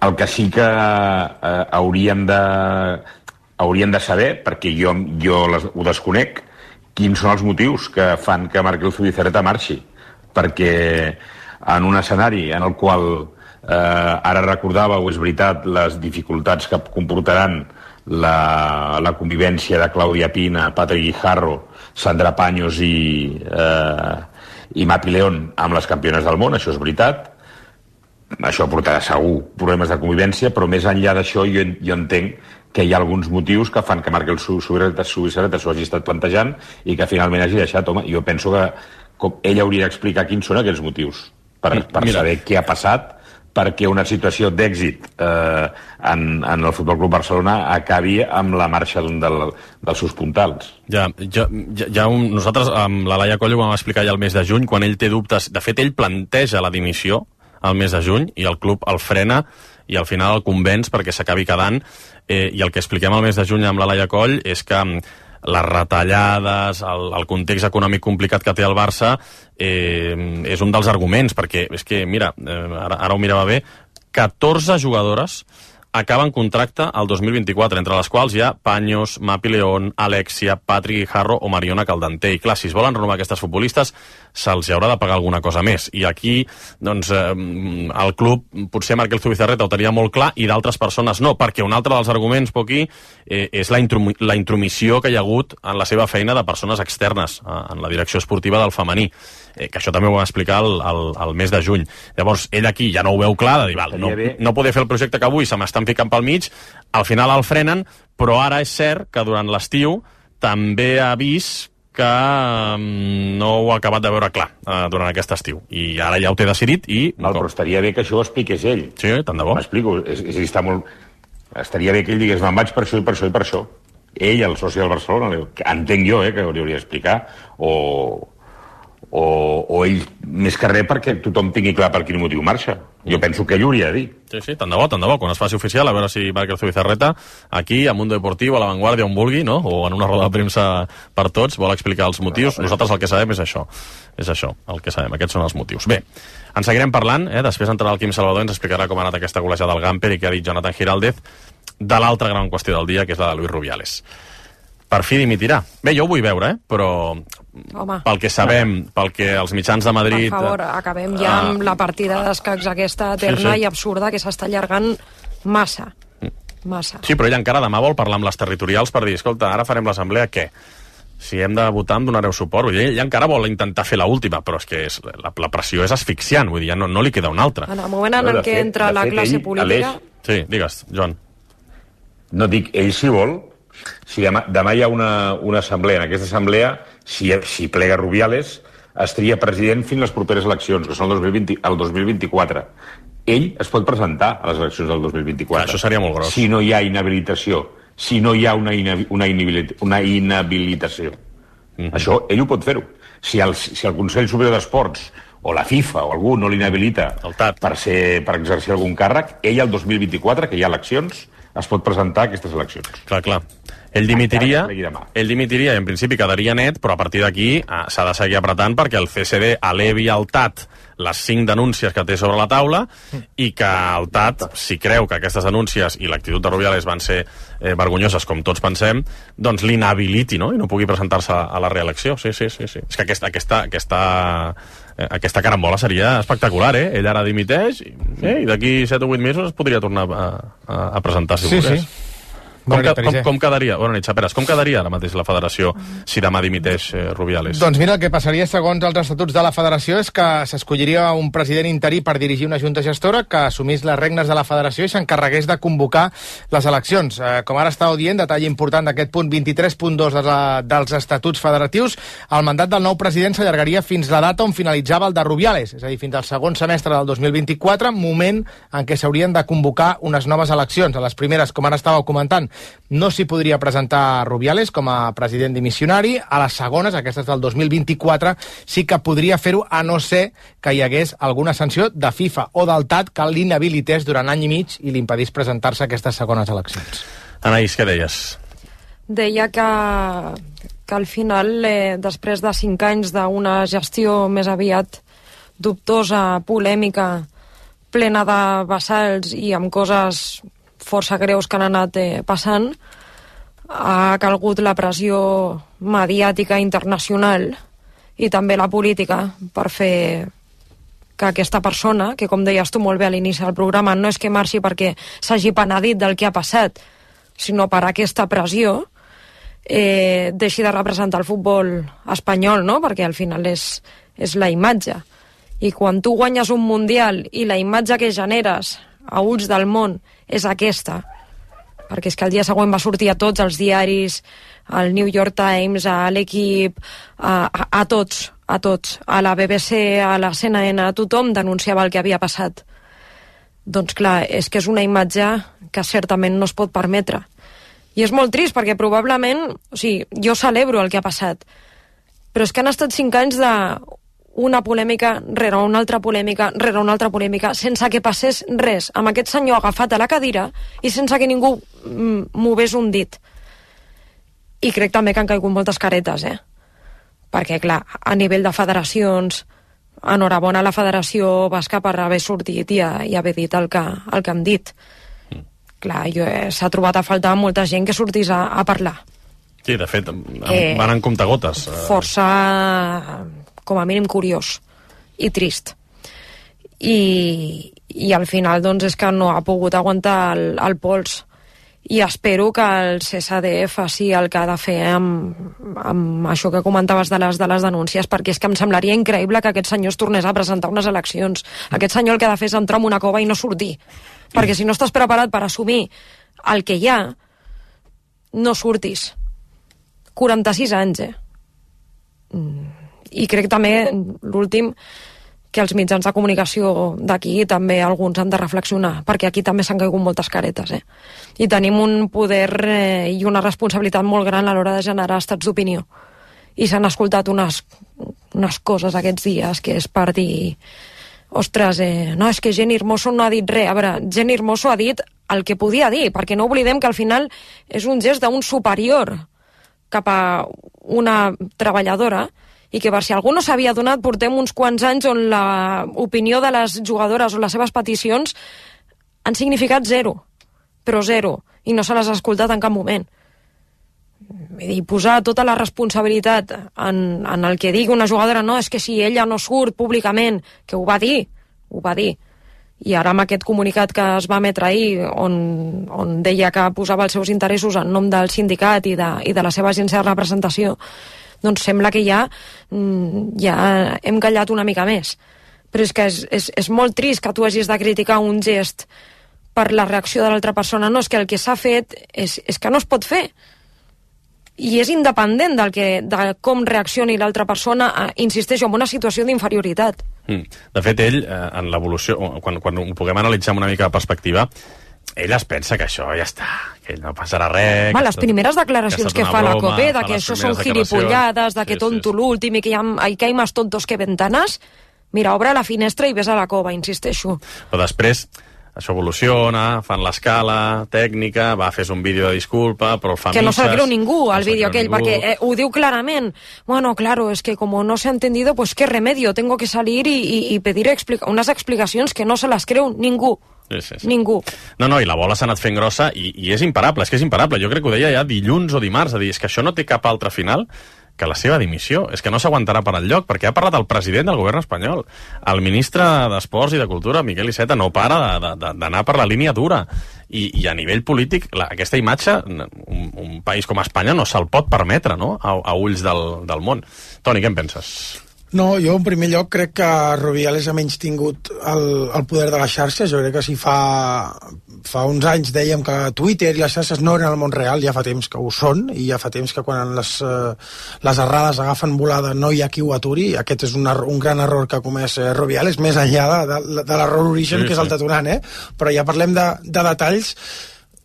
[SPEAKER 14] El que sí que eh, hauríem de hauríem de saber, perquè jo, jo les, ho desconec, quins són els motius que fan que Markel Zubizarreta marxi. Perquè en un escenari en el qual eh, ara recordàveu, és veritat, les dificultats que comportaran la, la convivència de Clàudia Pina, Patrick Guijarro, Sandra Paños i, eh, i Mapi León amb les campiones del món, això és veritat. Això portarà segur problemes de convivència, però més enllà d'això jo, jo entenc que hi ha alguns motius que fan que Markel Zubizarreta s'ho hagi estat plantejant i que finalment hagi deixat. Home, jo penso que com, ell hauria d'explicar quins són aquests motius per, per saber què ha passat perquè una situació d'èxit eh, en, en el Futbol Club Barcelona acabi amb la marxa d'un del, dels seus puntals.
[SPEAKER 5] Ja, ja, ja, ja un, nosaltres amb la Laia Coll ho vam explicar ja el mes de juny, quan ell té dubtes. De fet, ell planteja la dimissió al mes de juny i el club el frena i al final el convenç perquè s'acabi quedant, eh, i el que expliquem al mes de juny amb la Laia Coll és que les retallades, el, el context econòmic complicat que té el Barça eh, és un dels arguments, perquè és que, mira, eh, ara, ara ho mirava bé, catorze jugadores acaben contracte al dos mil vint-i-quatre, entre les quals hi ha Paños, Mapi León, Alexia, Patrick Guijarro o Mariona Caldentey. I clar, si es volen renovar aquestes futbolistes, se'ls haurà de pagar alguna cosa més. I aquí, doncs, eh, el club, potser Markel Zubizarreta ho tenia molt clar i d'altres persones no, perquè un altre dels arguments, Poqui, eh, és la, intrum la intromissió que hi ha hagut en la seva feina de persones externes eh, en la direcció esportiva del femení. Eh, que això també ho va explicar el, el, el mes de juny. Llavors, ell aquí ja no ho veu clar, de dir, val, no, no poder fer el projecte que avui se m'estan ficant pel mig, al final el frenen, però ara és cert que durant l'estiu també ha vist que um, no ho ha acabat de veure clar uh, durant aquest estiu. I ara ja ho té decidit i...
[SPEAKER 14] Val, però estaria bé que això ho expliqués ell.
[SPEAKER 5] Sí, tant de bo.
[SPEAKER 14] M'explico, és, és, està molt... Estaria bé que ell digués, me'n vaig per això i per això i per això. Ell, el soci del Barcelona, que entenc jo, eh, que hauria d'explicar, o... O, o ell, més que res, perquè tothom tingui clar per quin motiu marxa. Jo penso que ell ho hauria de dir.
[SPEAKER 5] Sí, sí, tant de bo, tant de bo. Quan es faci oficial, a veure si Markel Zubizarreta, aquí, a Mundo Deportiu, a La Vanguardia, on vulgui, no? O en una roda de premsa per tots, vol explicar els motius. Nosaltres el que sabem és això. És això, el que sabem. Aquests són els motius. Bé, en seguirem parlant, eh? Després entrarà el Quim Salvador i ens explicarà com ha anat aquesta golejada del Gamper i què ha dit Jonathan Giraldez de l'altra gran qüestió del dia, que és la de Luis Rubiales. per fi dimitirà. Bé, jo ho vull veure, eh? Però
[SPEAKER 7] Home.
[SPEAKER 5] pel que sabem, pel que els mitjans de Madrid...
[SPEAKER 7] Per favor, acabem ja amb la partida d'escacs aquesta eterna
[SPEAKER 5] Sí, sí.
[SPEAKER 7] i absurda que s'està allargant massa. Massa.
[SPEAKER 5] Sí, però ella encara demà vol parlar amb les territorials per dir, escolta, ara farem l'assemblea, què? Si hem de votar em donareu suport. Vull dir, ella encara vol intentar fer l'última, però és que és, la, la pressió és asfixiant, vull dir, ja no, no li queda una altra.
[SPEAKER 7] En el moment en el que entra la classe política...
[SPEAKER 5] Sí, digues, Joan.
[SPEAKER 14] No dic, ell si vol, si demà, demà hi ha una, una assemblea, en aquesta assemblea, si, si plega Rubiales, es tria president fins les properes eleccions, que són el dos mil vint, el dos mil vint-i-quatre. Ell es pot presentar a les eleccions del dos mil vint-i-quatre.
[SPEAKER 5] Això seria molt gros.
[SPEAKER 14] Si no hi ha inhabilitació, si no hi ha una, inhabi, una, inhabilit, una inhabilitació. Mm-hmm. Això, ell ho pot fer-ho. Si el, si el Consell Superior d'Esports o la FIFA o algú no l'inhabilita per, ser, per exercir algun càrrec, ell el dos mil vint-i-quatre, que hi ha eleccions, es pot presentar a aquestes eleccions.
[SPEAKER 5] Clar, clar. Ell dimitiria, ell dimitiria i en principi quedaria net, però a partir d'aquí eh, s'ha de seguir apretant perquè el C S D elevi al T A T les cinc denúncies que té sobre la taula i que el T A T, si creu que aquestes denúncies i l'actitud de Rubiales van ser eh, vergonyoses, com tots pensem, doncs l'inhabiliti, no? I no pugui presentar-se a la reelecció. Sí, sí, sí, sí. És que aquesta, aquesta, aquesta, eh, aquesta carambola seria espectacular, eh? Ell ara dimiteix i, eh, i d'aquí set o vuit mesos es podria tornar a, a, a presentar, si
[SPEAKER 16] sí,
[SPEAKER 5] volgués.
[SPEAKER 16] Sí.
[SPEAKER 5] Com, que, com, com quedaria, bona nit, Xaperes, com quedaria ara mateix la federació si demà dimiteix eh, Rubiales?
[SPEAKER 16] Doncs mira, el que passaria segons els estatuts de la federació és que s'escolliria un president interí per dirigir una junta gestora que assumís les regnes de la federació i s'encarregués de convocar les eleccions. Eh, com ara estàveu dient, detall important d'aquest punt vint-i-tres punt dos de la, dels estatuts federatius, el mandat del nou president s'allargaria fins la data on finalitzava el de Rubiales, és a dir, fins al segon semestre del dos mil vint-i-quatre, moment en què s'haurien de convocar unes noves eleccions. A les primeres, com ara estàveu comentant, no s'hi podria presentar Rubiales com a president dimissionari. A les segones, aquestes del dos mil vint-i-quatre, sí que podria fer-ho, a no ser que hi hagués alguna sanció de FIFA o del T A T que l'inhabilités durant any i mig i l'impedís presentar-se a aquestes segones eleccions.
[SPEAKER 5] Anaïs, què deies?
[SPEAKER 7] Deia que, que al final, eh, després de cinc anys d'una gestió més aviat dubtosa, polèmica, plena de vassalls i amb coses força greus que han anat eh, passant, ha calgut la pressió mediàtica internacional i també la política per fer que aquesta persona, que com deies tu molt bé a l'inici del programa, no és que marxi perquè s'hagi penedit del que ha passat, sinó per aquesta pressió, eh, deixi de representar el futbol espanyol, no? Perquè al final és, és la imatge. I quan tu guanyes un mundial i la imatge que generes a ulls del món és aquesta, perquè és que el dia següent va sortir a tots els diaris, al New York Times, a l'Equip, a, a, a tots, a tots, a la B B C, a la C N N, a tothom denunciava el que havia passat. Doncs clar, és que és una imatge que certament no es pot permetre. I és molt trist perquè probablement, o sigui, jo celebro el que ha passat, però és que han estat cinc anys de una polèmica rere una altra polèmica rere una altra polèmica, sense que passés res, amb aquest senyor agafat a la cadira i sense que ningú mogués un dit. I crec també que han caigut moltes caretes, eh? Perquè, clar, a nivell de federacions, enhorabona a la federació basca per haver sortit i, a, i haver dit el que, el que han dit. Mm. Clar, jo, eh, s'ha trobat a faltar molta gent que sortís a, a parlar.
[SPEAKER 5] Sí, de fet,
[SPEAKER 7] Eh,
[SPEAKER 5] van en comptagotes.
[SPEAKER 7] Força, com a mínim, curiós i trist. I, i al final, doncs, és que no ha pogut aguantar el, el pols. I espero que el C S D faci el que ha de fer amb, amb això que comentaves de les, de les denúncies, perquè és que em semblaria increïble que aquest senyor es tornés a presentar unes eleccions. Aquest senyor el que ha de fer és entrar en una cova i no sortir. Perquè si no estàs preparat per assumir el que hi ha, no surtis. quaranta-sis anys, eh? I crec també, l'últim, que els mitjans de comunicació d'aquí també alguns han de reflexionar, perquè aquí també s'han caigut moltes caretes, eh? I tenim un poder eh, i una responsabilitat molt gran a l'hora de generar estats d'opinió. I s'han escoltat unes, unes coses aquests dies que és per dir, ostres, eh, no, és que Jenny Hermoso no ha dit res. A veure, Jenny Hermoso ha dit el que podia dir, perquè no oblidem que al final és un gest d'un superior cap a una treballadora, i que per si algú no s'havia donat, portem uns quants anys on l'opinió de les jugadores o les seves peticions han significat zero, però zero, i no se les ha escoltat en cap moment. I posar tota la responsabilitat en, en el que digui una jugadora, no, és que si ella no surt públicament, que ho va dir, ho va dir, i ara amb aquest comunicat que es va emetre ahir on, on deia que posava els seus interessos en nom del sindicat i de, i de la seva agència de representació, doncs sembla que ja, ja hem callat una mica més. Però és que és, és, és molt trist que tu hagis de criticar un gest per la reacció de l'altra persona. No, és que el que s'ha fet és, és que no es pot fer. I és independent del que, de com reaccioni l'altra persona, insisteixo, en una situació d'inferioritat.
[SPEAKER 5] Mm. De fet, ell, eh, en l'evolució, quan, quan ho puguem analitzar amb una mica de perspectiva, ell es pensa que això ja està, que no passarà res...
[SPEAKER 7] Va, les primeres declaracions que, que fa broma, la COPE, de que això són gilipollades, de que sí, tonto sí, l'últim i que hi ha, que hi ha més tontos que ventanes, mira, obre la finestra i ves a la cova, insisteixo.
[SPEAKER 5] Però després... això evoluciona, fan l'escala tècnica, va, fes un vídeo de disculpa, però el fa
[SPEAKER 7] que
[SPEAKER 5] misses,
[SPEAKER 7] no se'l creu ningú, el
[SPEAKER 5] no
[SPEAKER 7] vídeo aquell,
[SPEAKER 5] ningú.
[SPEAKER 7] perquè eh, ho diu clarament. Bueno, claro, es que como no se ha entendido, pues qué remedio, tengo que salir y, y, y pedir explica unas explicacions que no se les creu ningú.
[SPEAKER 5] Sí, sí, sí.
[SPEAKER 7] Ningú.
[SPEAKER 5] No, no, i la bola s'ha anat fent grossa i, i és imparable, és que és imparable. Jo crec que ho deia ja dilluns o dimarts, a dir, és que això no té cap altre final que la seva dimissió. És que no s'aguantarà per enlloc, perquè ha parlat el president del govern espanyol. El ministre d'Esports i de Cultura, Miquel Iceta, no para d'anar per la línia dura. I, i a nivell polític, la, aquesta imatge, un, un país com Espanya no se'l pot permetre, no?, a, a ulls del, del món. Toni, què en penses?
[SPEAKER 15] No, jo en primer lloc crec que Rubiales ha menys tingut el, el poder de les xarxes. Jo crec que si fa, fa uns anys dèiem que Twitter i les xarxes no eren el món real, ja fa temps que ho són, i ja fa temps que quan les, les errades agafen volada no hi ha qui ho aturi. Aquest és un, un gran error que ha comès Rubiales, més enllà de, de, de l'error origen, sí, que és el detonant, eh? Però ja parlem de, de detalls.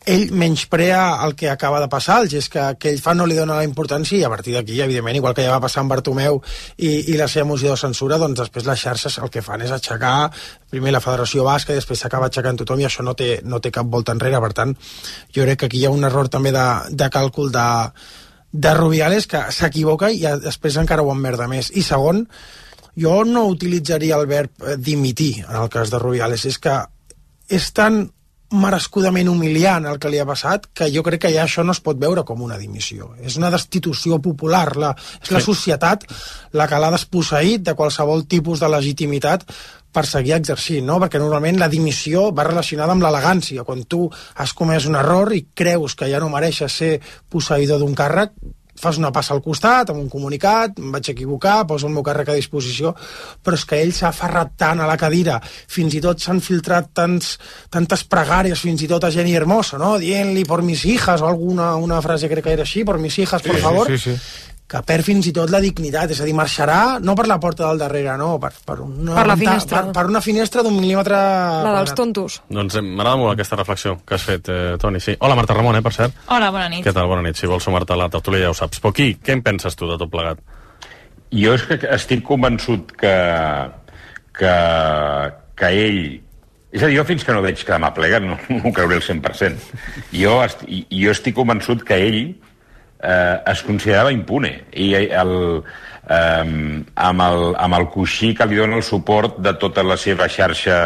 [SPEAKER 15] Ell menysprea el que acaba de passar, el gest que, que ell fa no li dona la importància, i a partir d'aquí, evidentment, igual que ja va passar amb Bartomeu i, i la seva moció de censura, doncs després les xarxes el que fan és aixecar primer la Federació Basca i després s'acaba aixecant tothom, i això no té, no té cap volta enrere. Per tant, jo crec que aquí hi ha un error també de, de càlcul de, de Rubiales, que s'equivoca i després encara ho emmerda més. I segon, jo no utilitzaria el verb dimitir en el cas de Rubiales, és que és tan merescudament humiliant el que li ha passat, que jo crec que ja això no es pot veure com una dimissió. És una destitució popular. La, és la societat la que l'ha desposseït de qualsevol tipus de legitimitat per seguir exercint, no? Perquè normalment la dimissió va relacionada amb l'elegància. Quan tu has comès un error i creus que ja no mereixes ser posseïdor d'un càrrec, fas una passa al costat, amb un comunicat, em vaig equivocar, poso el meu càrrec a disposició, però és que ell s'ha aferrat tant a la cadira, fins i tot s'han filtrat tants, tantes pregàries, fins i tot a Jenny Hermoso, no?, dient-li por mis hijas, o alguna una frase crec que era així, por mis hijas, por
[SPEAKER 16] sí,
[SPEAKER 15] favor,
[SPEAKER 16] sí, sí, sí.
[SPEAKER 15] Que perd fins i tot la dignitat, és a dir, marxarà no per la porta del darrere, no, per, per, una,
[SPEAKER 7] per la finestra,
[SPEAKER 15] per, per una finestra d'un mil·límetre...
[SPEAKER 7] La dels tontos.
[SPEAKER 5] Doncs m'agrada molt aquesta reflexió que has fet, eh, Toni. Sí. Hola, Marta Ramon, eh, per cert.
[SPEAKER 17] Hola, bona nit.
[SPEAKER 5] Què tal? Bona nit. Si vols sumar-te a la tertúlia ja ho saps. Però aquí, què en penses tu de tot plegat?
[SPEAKER 14] Jo és que estic convençut que, que, que ell... És a dir, jo fins que no veig que demà plega no, no ho creuré al cent per cent. Jo, est, jo estic convençut que ell eh, es considerava impune. I el, eh, amb, el, amb el coixí que li dona el suport de tota la seva xarxa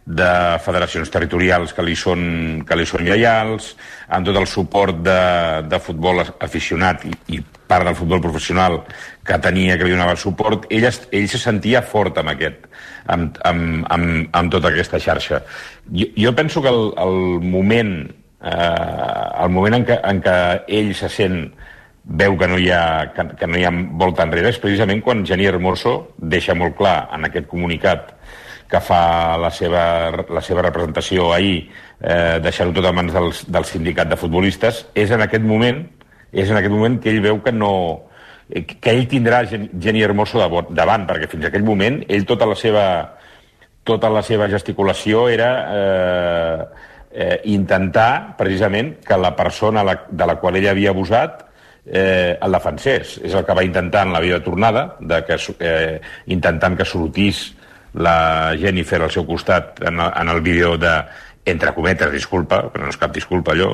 [SPEAKER 14] de federacions territorials que li són, que li són lleials, amb tot el suport de, de futbol aficionat i, i part del futbol professional que tenia, que li donava suport, ell, ell se sentia fort amb aquest, amb, amb, amb, amb tota aquesta xarxa. Jo, jo penso que el, el moment, eh, el moment en què, en què ell se sent, veu que no hi ha, que, que no hi ha volta enrere, és precisament quan Jenny Hermoso deixa molt clar en aquest comunicat que fa la seva, la seva representació ahir, eh, deixar-ho tot a mans del, del sindicat de futbolistes, és en aquest moment és en aquest moment que ell veu que no que ell tindrà Jenny Hermoso davant, perquè fins a aquell moment ell tota la seva tota la seva gesticulació era eh, eh, intentar precisament que la persona la, de la qual ell havia abusat eh, el defensés. És el que va intentar en la vida tornada, de que, eh, intentant que sortís la Jennifer al seu costat en el, en el vídeo de, entre cometes, disculpa, però no és cap disculpa allò,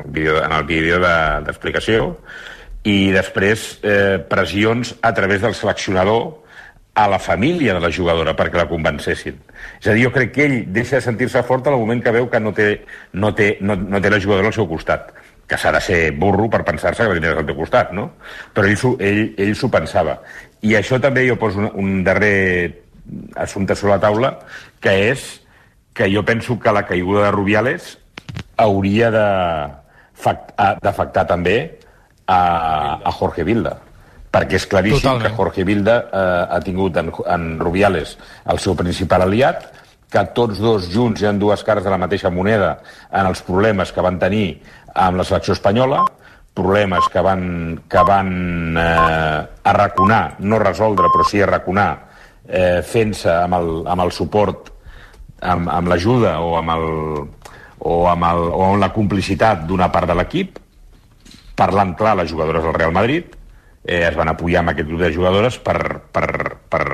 [SPEAKER 14] vídeo, en el vídeo d'explicació, de, i després eh, pressions a través del seleccionador a la família de la jugadora perquè la convencessin. És a dir, jo crec que ell deixa de sentir-se fort al moment que veu que no té, no té, no, no té la jugadora al seu costat, que s'ha de ser burro per pensar-se que la tindràs al teu costat, no? Però ell s'ho ell, ell s'ho pensava. I això també jo poso un, un darrer assumpte sobre la taula, que és que jo penso que la caiguda de Rubiales hauria d'afectar també a, a Jorge Vilda, perquè és claríssim Totalment. que Jorge Vilda eh, ha tingut en, en Rubiales el seu principal aliat, que tots dos junts hi ha dues cares de la mateixa moneda en els problemes que van tenir amb la selecció espanyola, problemes que van, que van eh, arraconar, no resoldre, però sí arraconar, eh, fent-se amb, el, amb el suport, amb, amb l'ajuda o amb el, o amb, el, o amb la complicitat d'una part de l'equip, parlant clar les jugadores del Real Madrid, eh, es van apoyar amb aquest grup de jugadores per, per, per,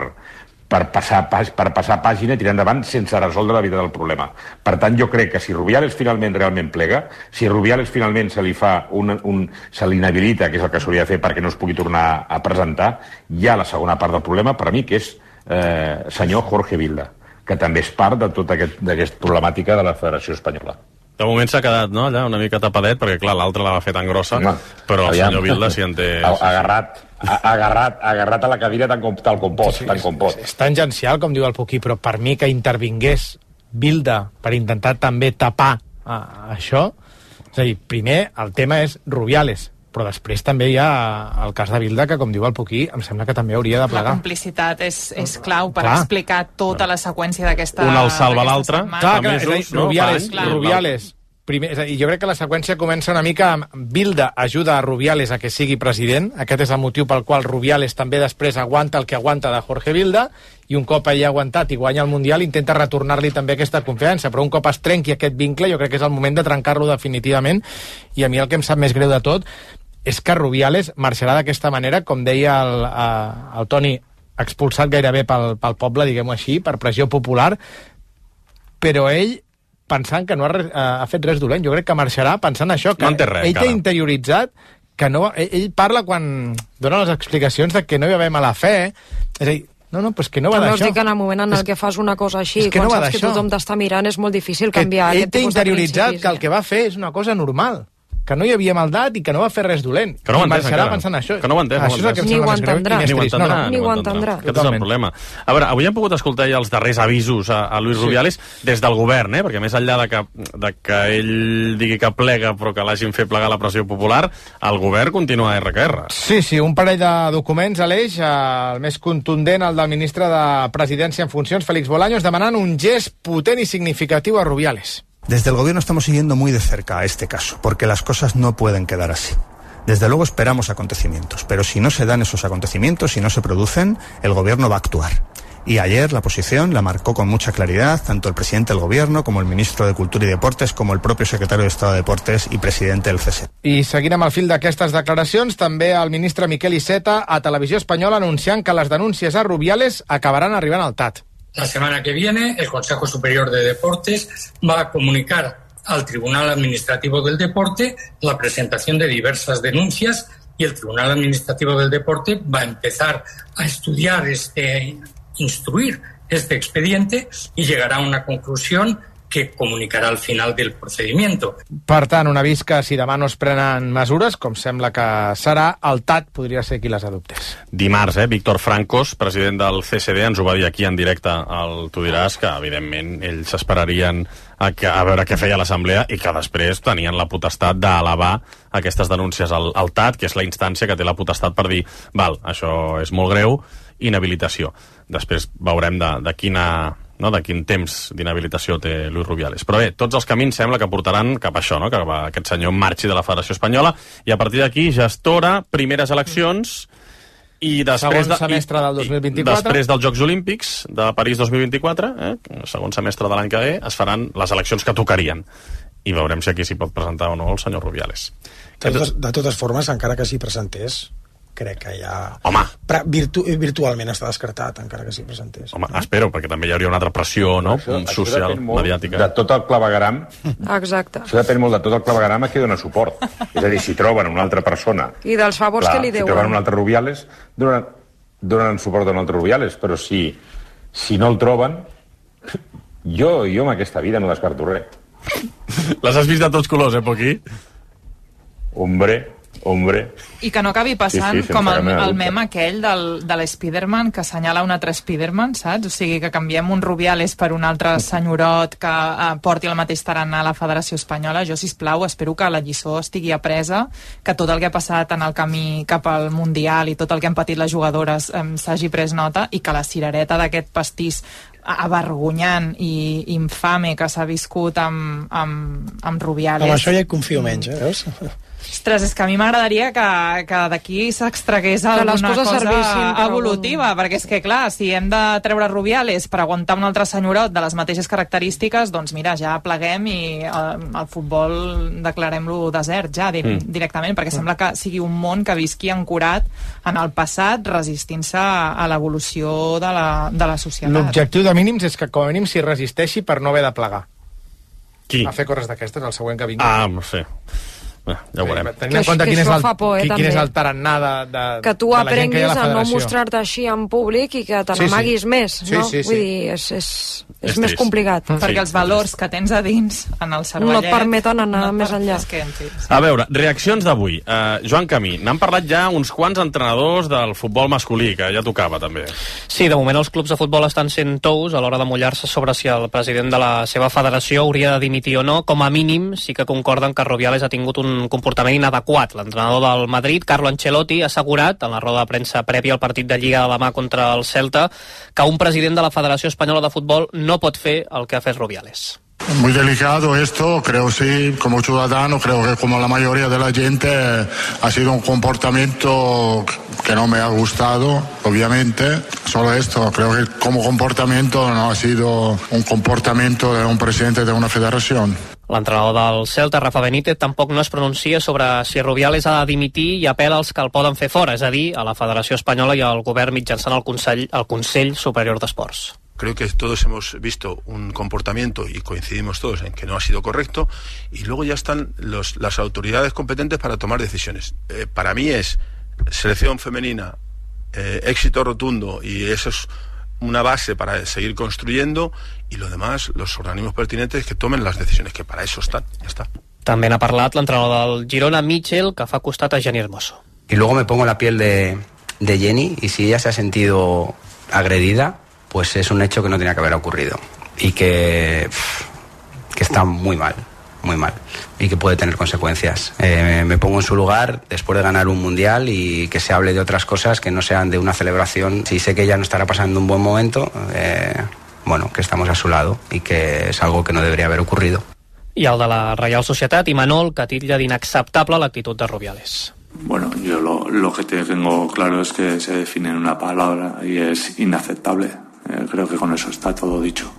[SPEAKER 14] per, passar, per passar pàgina i tirar endavant sense resoldre la vida del problema. Per tant, jo crec que si Rubiales finalment realment plega, si Rubiales finalment se li fa un, un, se l'inhabilita, que és el que s'hauria de fer perquè no es pugui tornar a presentar, hi ha la segona part del problema, per a mi, que és eh, senyor Jorge Vilda, que també és part de tota aquesta aquest problemàtica de la Federació Espanyola.
[SPEAKER 5] De moment s'ha quedat, no?, allà una mica tapadet, perquè, clar, l'altre la va fer tan grossa, no, però el senyor Vilda s'hi en té...
[SPEAKER 14] Agarrat, agarrat, agarrat a la cadira tant com, tal com pot, sí, tant com pot.
[SPEAKER 16] És, és tangencial, com diu el Puquí, però per mi que intervingués Vilda per intentar també tapar uh, això, és a dir, primer el tema és Rubiales, però després també hi ha el cas de Vilda, que, com diu el Puquí, em sembla que també hauria de plegar.
[SPEAKER 17] La complicitat és, és clau per
[SPEAKER 16] Clar.
[SPEAKER 17] explicar tota la seqüència d'aquesta
[SPEAKER 5] Un el salva l'altre.
[SPEAKER 16] Clar, clar, és a dir, Rubiales, Rubiales primer, és a dir, jo crec que la seqüència comença una mica amb Vilda ajuda a Rubiales a que sigui president, aquest és el motiu pel qual Rubiales també després aguanta el que aguanta de Jorge Vilda, i un cop ell ha aguantat i guanya el Mundial intenta retornar-li també aquesta confiança, però un cop es trenqui aquest vincle jo crec que és el moment de trencar-lo definitivament, i a mi el que em sap més greu de tot és que Rubiales marxarà d'aquesta manera, com deia el, el Toni, expulsat gairebé pel, pel poble, diguem-ho així, per pressió popular, però ell pensant que no ha, ha fet res dolent. Jo crec que marxarà pensant això, que
[SPEAKER 5] no res,
[SPEAKER 16] ell té interioritzat que no, ell, ell parla quan dona les explicacions de que no hi va haver mala fe, és a dir, no, no, però és que no va
[SPEAKER 7] També
[SPEAKER 16] d'això.
[SPEAKER 7] us dic que en el moment en el que fas una cosa així,
[SPEAKER 16] és que
[SPEAKER 7] quan
[SPEAKER 16] no
[SPEAKER 7] saps que tothom t'està mirant, és molt difícil canviar
[SPEAKER 16] ell
[SPEAKER 7] aquest
[SPEAKER 16] té
[SPEAKER 7] tipus de
[SPEAKER 16] interioritzat
[SPEAKER 7] principis.
[SPEAKER 16] que el que va fer és una cosa normal, que no hi havia maldat i que no va fer res dolent.
[SPEAKER 5] Que no ho
[SPEAKER 16] I
[SPEAKER 5] entès
[SPEAKER 16] marxarà
[SPEAKER 5] encara.
[SPEAKER 16] pensant això.
[SPEAKER 5] Que no ho entès,
[SPEAKER 16] Això és el que em
[SPEAKER 7] Ni
[SPEAKER 16] sembla
[SPEAKER 7] ho
[SPEAKER 16] més greu i
[SPEAKER 7] entendrà.
[SPEAKER 16] més
[SPEAKER 5] Ni ho
[SPEAKER 16] trist.
[SPEAKER 5] entendrà,
[SPEAKER 16] No, no.
[SPEAKER 7] Ni ho entendrà.
[SPEAKER 5] Aquest és el problema. A veure, avui hem pogut escoltar ja els darrers avisos a, a Luis
[SPEAKER 16] Sí.
[SPEAKER 5] Rubiales des del govern, eh? Perquè més enllà de que, de que ell digui que plega però que l'hagin fet plegar la pressió popular, el govern continua R que R.
[SPEAKER 16] Sí, sí, un parell de documents, Aleix, eh, el més contundent, el del ministre de Presidència en funcions, Félix Bolaños, demanant un gest potent i significatiu a Rubiales.
[SPEAKER 18] Desde el gobierno estamos siguiendo muy de cerca este caso, porque las cosas no pueden quedar así. Desde luego esperamos acontecimientos, pero si no se dan esos acontecimientos, si no se producen, el gobierno va a actuar. Y ayer la posición la marcó con mucha claridad tanto el presidente del gobierno como el ministro de Cultura y Deportes como el propio secretario de Estado de Deportes y presidente del C S.
[SPEAKER 16] I seguint amb el fil d'aquestes declaracions, també el ministre Miquel Iceta a Televisió Espanyola anunciant que les denúncies a Rubiales acabaran arribant al T A T.
[SPEAKER 19] La semana que viene, el Consejo Superior de Deportes va a comunicar al Tribunal Administrativo del Deporte la presentación de diversas denuncias y el Tribunal Administrativo del Deporte va a empezar a estudiar este, instruir este expediente y llegará a una conclusión que comunicarà al final del procedimiento.
[SPEAKER 16] Per tant, un avís que si demà no es prenen mesures, com sembla que serà, el T A T podria ser qui les adoptés.
[SPEAKER 5] Dimarts, eh, Víctor Francos, president del C S D, ens ho va dir aquí en directe al Tu diràs, que evidentment ells esperarien a, que, a veure què feia l'Assemblea i que després tenien la potestat d'elevar aquestes denúncies al, al T A T, que és la instància que té la potestat per dir, val, això és molt greu, inhabilitació. Després veurem de, de quina... no, de quin temps d'inhabilitació té Luis Rubiales. Però bé, tots els camins sembla que portaran cap a això, no? Que aquest senyor marxi de la Federació Espanyola i a partir d'aquí gestora primeres eleccions i després
[SPEAKER 16] segon semestre del dos mil vint-i-quatre.
[SPEAKER 5] Després dels Jocs Olímpics de París dos mil vint-i-quatre, eh, segon semestre de l'any que ve, es faran les eleccions que tocarien. I veurem si aquí s'hi pot presentar o no el senyor Rubiales.
[SPEAKER 15] De totes, de totes formes, encara que s'hi presentés, crec que ja...
[SPEAKER 5] Home!
[SPEAKER 15] Virtu virtualment està descartat, encara que s'hi presentés.
[SPEAKER 5] Home, espero, perquè també hi hauria una altra pressió, no?
[SPEAKER 14] Això,
[SPEAKER 5] social,
[SPEAKER 14] això
[SPEAKER 5] mediàtica.
[SPEAKER 14] De tot el clavegaram...
[SPEAKER 7] Exacte.
[SPEAKER 14] Això depèn molt de tot el clavegaram a qui dona suport. És a dir, si troben una altra persona...
[SPEAKER 7] I dels favors
[SPEAKER 14] clar,
[SPEAKER 7] que li
[SPEAKER 14] si
[SPEAKER 7] deuen.
[SPEAKER 14] troben un altre Rubiales... Donen... donen suport a un altre Rubiales, però si, si no el troben, jo, jo en aquesta vida no descarto res.
[SPEAKER 5] Les has vist de tots colors, eh, Poquí?
[SPEAKER 14] Hombre, hombre.
[SPEAKER 17] I que no acabi passant
[SPEAKER 14] Sí, sí,
[SPEAKER 17] com el,
[SPEAKER 14] sense cap mena de
[SPEAKER 17] el
[SPEAKER 14] dubte.
[SPEAKER 17] mem aquell del, de l'Spiderman que assenyala un altre Spiderman, saps? O sigui, que canviem un Rubiales per un altre senyorot que eh, porti el mateix tarannà a la Federació Espanyola. Jo, sisplau, espero que la lliçó estigui apresa, que tot el que ha passat en el camí cap al Mundial i tot el que han patit les jugadores eh, s'hagi pres nota i que la cirereta d'aquest pastís avergonyant i infame que s'ha viscut amb, amb, amb Rubiales.
[SPEAKER 15] Amb això ja hi confio menys, eh, veus?
[SPEAKER 17] Ostres, és que a mi m'agradaria que, que d'aquí s'extragués
[SPEAKER 7] Que les
[SPEAKER 17] alguna
[SPEAKER 7] coses
[SPEAKER 17] cosa
[SPEAKER 7] servissin per
[SPEAKER 17] evolutiva,
[SPEAKER 7] algun-
[SPEAKER 17] perquè és que, clar, si hem de treure Rubiales per aguantar un altre senyorot de les mateixes característiques, doncs mira, ja pleguem i el, el futbol declarem-lo desert ja di
[SPEAKER 5] Mm.
[SPEAKER 17] directament, perquè sembla que sigui un món que visqui ancorat en el passat, resistint-se a l'evolució de la, de la societat.
[SPEAKER 16] L'objectiu de mínims és que com a mínim s'hi resisteixi per no haver de plegar.
[SPEAKER 5] Qui?
[SPEAKER 16] A fer coses d'aquestes, el següent que vingui.
[SPEAKER 5] Ah, no sé. Bé, ja ho veurem.
[SPEAKER 16] Tenint en compte
[SPEAKER 7] Que
[SPEAKER 16] quin és
[SPEAKER 7] això
[SPEAKER 16] el,
[SPEAKER 7] fa por, eh,
[SPEAKER 16] qui- quin és
[SPEAKER 7] també.
[SPEAKER 16] el tarannà de, de,
[SPEAKER 7] Que tu
[SPEAKER 16] de la gent que hi ha
[SPEAKER 7] aprenguis
[SPEAKER 16] a la
[SPEAKER 7] a no
[SPEAKER 16] federació.
[SPEAKER 7] mostrar-te així en públic i que te
[SPEAKER 16] Sí, sí.
[SPEAKER 7] n'amaguis més,
[SPEAKER 16] Sí,
[SPEAKER 7] no?
[SPEAKER 16] sí, sí.
[SPEAKER 7] Vull dir, és, és, és,
[SPEAKER 17] És
[SPEAKER 7] més
[SPEAKER 17] trist.
[SPEAKER 7] complicat.
[SPEAKER 17] Perquè els valors que tens a dins en el cervellet
[SPEAKER 7] No et permeten anar
[SPEAKER 17] et
[SPEAKER 7] més
[SPEAKER 17] per-
[SPEAKER 7] enllà.
[SPEAKER 17] És que, en fi, sí.
[SPEAKER 5] A veure, reaccions d'avui. Uh, Joan Camí, n'han parlat ja uns quants entrenadors del futbol masculí, que ja tocava, també.
[SPEAKER 11] Sí, de moment els clubs de futbol estan sent tous a l'hora de mullar-se sobre si el president de la seva federació hauria de dimitir o no. Com a mínim, sí que concorden que Rubiales ha tingut un comportament inadequat. L'entrenador del Madrid, Carlo Ancelotti, ha assegurat en la roda de premsa prèvia al partit de Lliga de demà contra el Celta que un president de la Federació Espanyola de Futbol no pot fer el que ha fet Rubiales.
[SPEAKER 20] Muy delicado esto, creo sí, como ciudadano, creo que como la mayoría de la gente ha sido un comportamiento que no me ha gustado, obviamente. Solo esto, creo que como comportamiento no ha sido un comportamiento de un presidente de una federación.
[SPEAKER 11] L'entrenador del Celta, Rafa Benítez, tampoc no es pronuncia sobre si Rubiales ha de dimitir i apela als que el poden fer fora, és a dir, a la Federació Espanyola i al govern mitjançant el Consell, el Consell Superior d'Esports.
[SPEAKER 21] Creo que todos hemos visto un comportamiento y coincidimos todos en que no ha sido correcto, y luego ya están los, las autoridades competentes para tomar decisiones. Eh, para mí es selección femenina, eh, éxito rotundo, y eso es una base para seguir construyendo, y lo demás, los organismos pertinentes que tomen las decisiones, que para eso están, ya está.
[SPEAKER 11] També n'ha parlat l'entrenador del Girona, Michel, que fa costat a Jenny Hermoso.
[SPEAKER 22] Y luego me pongo la piel de, de Jenny, y si ella se ha sentido agredida, pues es un hecho que no tenía que haber ocurrido y que, que está muy mal, muy mal, y que puede tener consecuencias. Eh, me pongo en su lugar después de ganar un mundial y que se hable de otras cosas que no sean de una celebración. Si sé que ella no estará pasando un buen momento, eh, bueno, que estamos a su lado y que es algo que no debería haber ocurrido.
[SPEAKER 11] I el de la Reial Societat, Imanol, que titlla d'inacceptable l'actitud de Rubiales.
[SPEAKER 23] Bueno, yo lo, lo que tengo claro es que se define en una palabra y es inaceptable. Eh, creo que con eso está todo dicho.